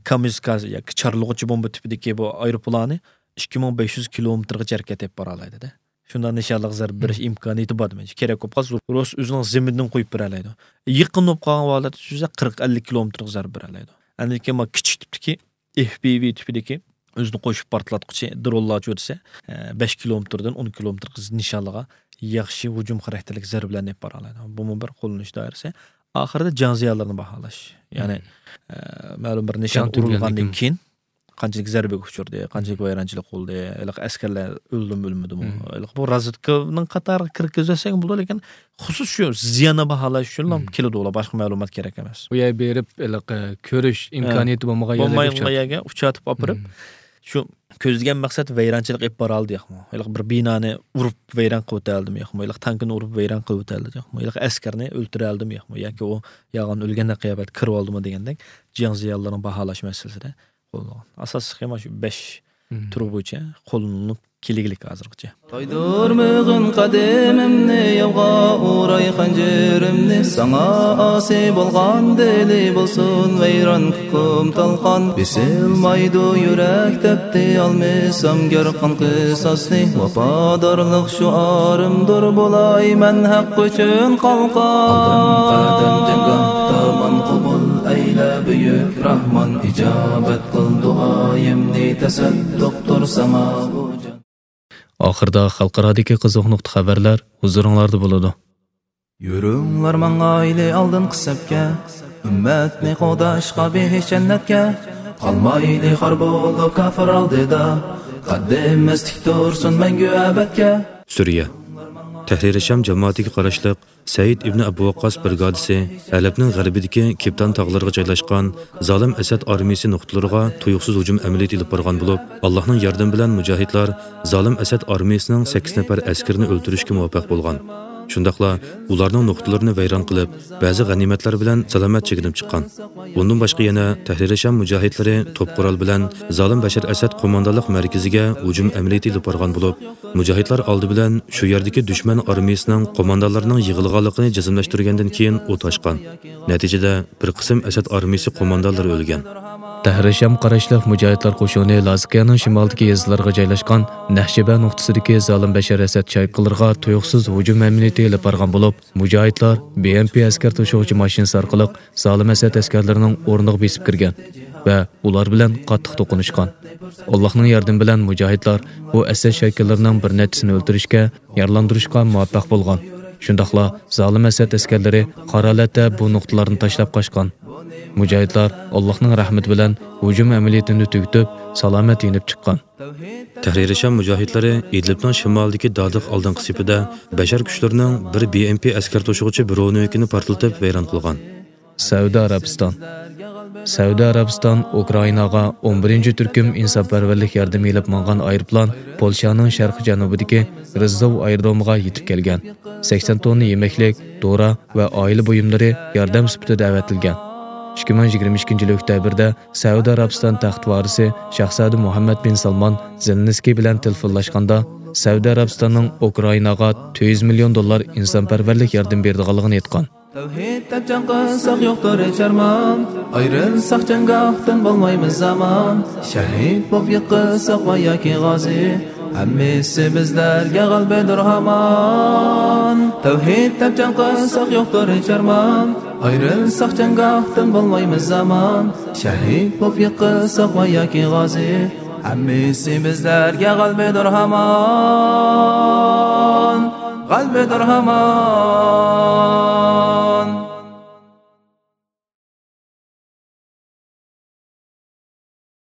كامىزكازې ياكى چارلىغۇچى بومبا تىپىدىكى بۇ ئايروپىلانى ئىككى مىڭ بەش يۈز كىلومېتىرغىچە ھەرىكەت ئېلىپ بارالايدۇ-دە. شۇنداق نىشانلىق زەربە بېرىش مم. ئىمكانىيىتى بار دېمەكچى. كېرەك بولۇپ قالسا، رۇس ئۆزىنىڭ زېمىنىدىن قويۇپ بېرەلەيدۇ. يېقىن بولۇپ قالغان ھالەتتە سۈزسە، قىرىق، ئەللىك كىلومېتىرغا زەربە بېرەلەيدۇ. ئاندىن كېيىن مانا كىچىك تىپتىكى ئېف پىۋ تىپىدىكى ئۆزىنى قوشۇپ پارتلاتقۇچى درونلارچۇ دېسە، ئە، بەش كىلومېتىردىن ئون كىلومېتىر نىشانلىغا ياخشى ھۇجۇم خاراكتېرلىك زەربىلەرنى ئېلىپ بارالايدۇ. بۇمۇ بىر قوللىنىش دائىرىسى. ئاخىرىدا جەڭ زىيانلىرىنى باھالاش. يەنى، مم. ئە، مەلۇم بىر نىشان جەڭ تۈگىگەندىن ئۇرۇلغاندىن كېيىن. كېيىن قانچىلىك زەربىگە ئۇچرىدى، قانچىلىك ۋەيرانچىلىق بولدى، ھېلىقى ئەسكەرلەر ئۆلدىمۇ، ئۆلمىدىمۇ؟ مم. ھېلىقى بۇ رازۋېدكىنىڭ قاتارىغا كىرگۈزۈۋەتسەك بولىدۇ، لېكىن خۇسۇس شۇ زىياننى باھالاش ئۈچۈنلا مم. كېلىدۇ ئۇلار، باشقا مەلۇمات كېرەك ئەمەس. ئۇ يەرگە بېرىپ، ھېلىقى كۆرۈش ھە. ئىمكانىيىتى بولمىغان يەرلەرگە بولمايدىغان ئۇچراتتى. يەرگە ئۇچراتىپ ئاپىرىپ، مم. شۇ كۆزلىگەن مەقسەت ۋەيرانچىلىق ئېلىپ بارالدى ياقمۇ؟ ھېلىقى بىر بىنانى ئۇرۇپ ۋەيران قىلىۋېتەلدىمۇ ياقمۇ؟ ھېلىقى تانكىنى ئۇرۇپ ۋەيران قىلىۋېتەلدىمۇ ياقمۇ؟ ھېلىقى ئەسكەرنى ئۆلتۈرەلدىمۇ ياقمۇ؟ ياكى ئۇ يالغان ئۆلگەندەك قىياپەتتە كىرىۋالدىمۇ دېگەندەك جەڭ زىيانلىرىنى باھالاش مەسىلىسىدە قوللانغان. ئاساسلىقى مانا شۇ بەش مم. تۈر بويىچە قوللىنىلىپ كېلىگلىك ھازىرغىچە. تايدۇرمىغىن قەدىمىمنى، ياۋغا ئۇراي خەنجىرىمنى، ساڭا ئاسىي بولغان دىلى بولسۇن ۋەيران، كۇكۇم تالقان. بېسىلمايدۇ يۈرەك دەپتى، ئالمىسام گەر قان قىساسنى، ۋاپادارلىق شوئارىمدۇر، بولاي مەن ھەق ئۈچۈن قالقان. ئالدىم قەدەم جەڭگاھ، دامان قوبۇل ئەيلە بۈيۈك راھمان، ئىجابەت قىل دۇئايىمنى، تەسەددۇقتۇر ساڭا بۇ جان. ئاخىردا خەلقئارادىكى قىزىق نۇقتا خەۋەرلەر ھۇزۇرۇڭلاردا بولىدۇ. يۈرۈڭلار ماڭايلى ئالدىنقى سەپكە، ئۈممەتنى قوغداشقا بېھىش جەننەتكە. قالمايلى خار بولۇپ كاپىر ئالدىدا، قەددىمىز تىك تۇرسۇن مەڭگۈ ئەبەدكە. سۈرىيە. تەھرىر شام جامائىتىگە قاراشلىق سەئىد ئىبنى ئەبۇ ۋەققاس برىگادىسى ھەلەبنىڭ غەربىدىكى كىپتان تاغلىرىغا جايلاشقان زالىم ئەسەد ئارمىيىسى نۇقتىلىرىغا تۇيۇقسىز ھۇجۇم ئەمەلىيىتى ئېلىپ بارغان بولۇپ، ئاللاھنىڭ ياردىمى بىلەن مۇجاھىدلار زالىم ئەسەد ئارمىيىسىنىڭ سەككىز نەپەر ئەسكىرىنى ئۆلتۈرۈشكە مۇۋەپپەق بولغان. شۇنداقلا ئۇلارنىڭ نۇقتىلىرىنى ۋەيران قىلىپ، بەزى غەنىيمەتلەر بىلەن سالامەت چېكىنىپ چىققان. بۇندىن باشقا يەنە تەھرىر شام مۇجاھىدلىرى توپ قورال بىلەن زالىم بەشەر ئەسەد قوماندانلىق مەركىزىگە ھۇجۇم ئەمەلىيىتى ئېلىپ بارغان بولۇپ، مۇجاھىدلار ئالدى بىلەن شۇ يەردىكى دۈشمەن ئارمىيىسىنىڭ قوماندانلىرىنىڭ يىغىلغانلىقىنى جەزملەشتۈرگەندىن كېيىن ئوت ئاچقان. نەتىجىدە، بىر قىسىم ئەسەد ئارمىيىسى قوماندانلىرى ئۆلگەن. تەھرىر شام قاراشلىق مۇجاھىدلار قوشۇنى لازىكىيەنىڭ شىمالىدىكى يېزىلارغا جايلاشقان نەھجىبە نۇقتىسىدىكى زالىم بەشەر ئەسەد چايقىلىرىغا تۇيۇقسىز ھۇجۇم ئەمەلىيىتى ئېلىپ بارغان بولۇپ، مۇجاھىدلار بى ئېم پى ئەسكەر توشۇغۇچى ماشىنىسى ئارقىلىق زالىم ئەسەد ئەسكەرلىرىنىڭ ئورنىغا بېسىپ كىرگەن ۋە ئۇلار بىلەن قاتتىق توقۇنۇشقان. ئاللاھنىڭ ياردىمى بىلەن مۇجاھىدلار بۇ ئەسەد شاكىللىرىنىڭ بىر نەچچىسىنى ئۆلتۈرۈشكە، يارىلاندۇرۇشقا مۇۋەپپەق بولغان. شۇنداقلا زالىم ئەسەد ئەسكەرلىرى قارا ھالەتتە بۇ نۇقتىلارنى تاشلاپ قاچقان. مۇجاھىدلار ئاللاھنىڭ رەھمىتى بىلەن ھۇجۇم ئەمەلىيىتىنى تۈگىتىپ، سالامەت يېنىپ چىققان. تەھرىرىي شام مۇجاھىدلىرى ئىدلىبنىڭ شىمالىدىكى دادىق ئالدىنقى سېپىدە بەشەر كۈچلىرىنىڭ بىر بى ئېم پى ئەسكەر توشۇغۇچى برونېۋىكىنى پارتلىتىپ ۋەيران قىلغان. سەئۇدى ئەرەبىستان. سەئۇدى ئەرەبىستان ئۇكرائىناغا ئون بىرىنچى تۈركۈم ئىنسانپەرۋەرلىك ياردىمى ئېلىپ ماڭغان ئايروپىلان پولشانىڭ شەرقىي جەنۇبىدىكى رىززوۋ ئايرودرومىغا يېتىپ كەلگەن. سەكسەن توننا يېمەكلىك، دورا ۋە ئائىلە بۇيۇملىرى ياردەم سۈپىتىدە ئەۋەتىلگەن. ئىككى مىڭ يىگىرمە ئىككىنچى يىل ئۆكتەبىردە سەئۇدى ئەرەبىستان تەخت ۋارىسى شاھزادە مۇھەممەد بىن سالمان زېلېنسكىي بىلەن تېلېفونلاشقاندا، سەئۇدى ئەرەبىستاننىڭ ئۇكرائىناغا تۆت يۈز مىليون دوللار ئىنسانپەرۋەرلىك ياردىمى بېرىدىغانلىقىنى ئېيتقان. تەۋھىد دەپ جەڭ قىلساق يوقتۇر ھېچ ئارمان، ئايرىلساق جەڭگاھتىن بولمايمىز ئامان، شەھىد بولۇپ يىقىلساق ۋە ياكى غازى، ھەممىسى بىزلەرگە غەلىبىدۇر ھامان. تەۋھىد دەپ جەڭ قىلساق يوقتۇر ھېچ ئارمان، ئايرىلساق جەڭگاھتىن بولمايمىز ئامان، شەھىد بولۇپ يىقىلساق ۋە ياكى غازى، ھەممىسى بىزلەرگە غەلىبىدۇر ھامان، غەلىبىدۇر ھامان.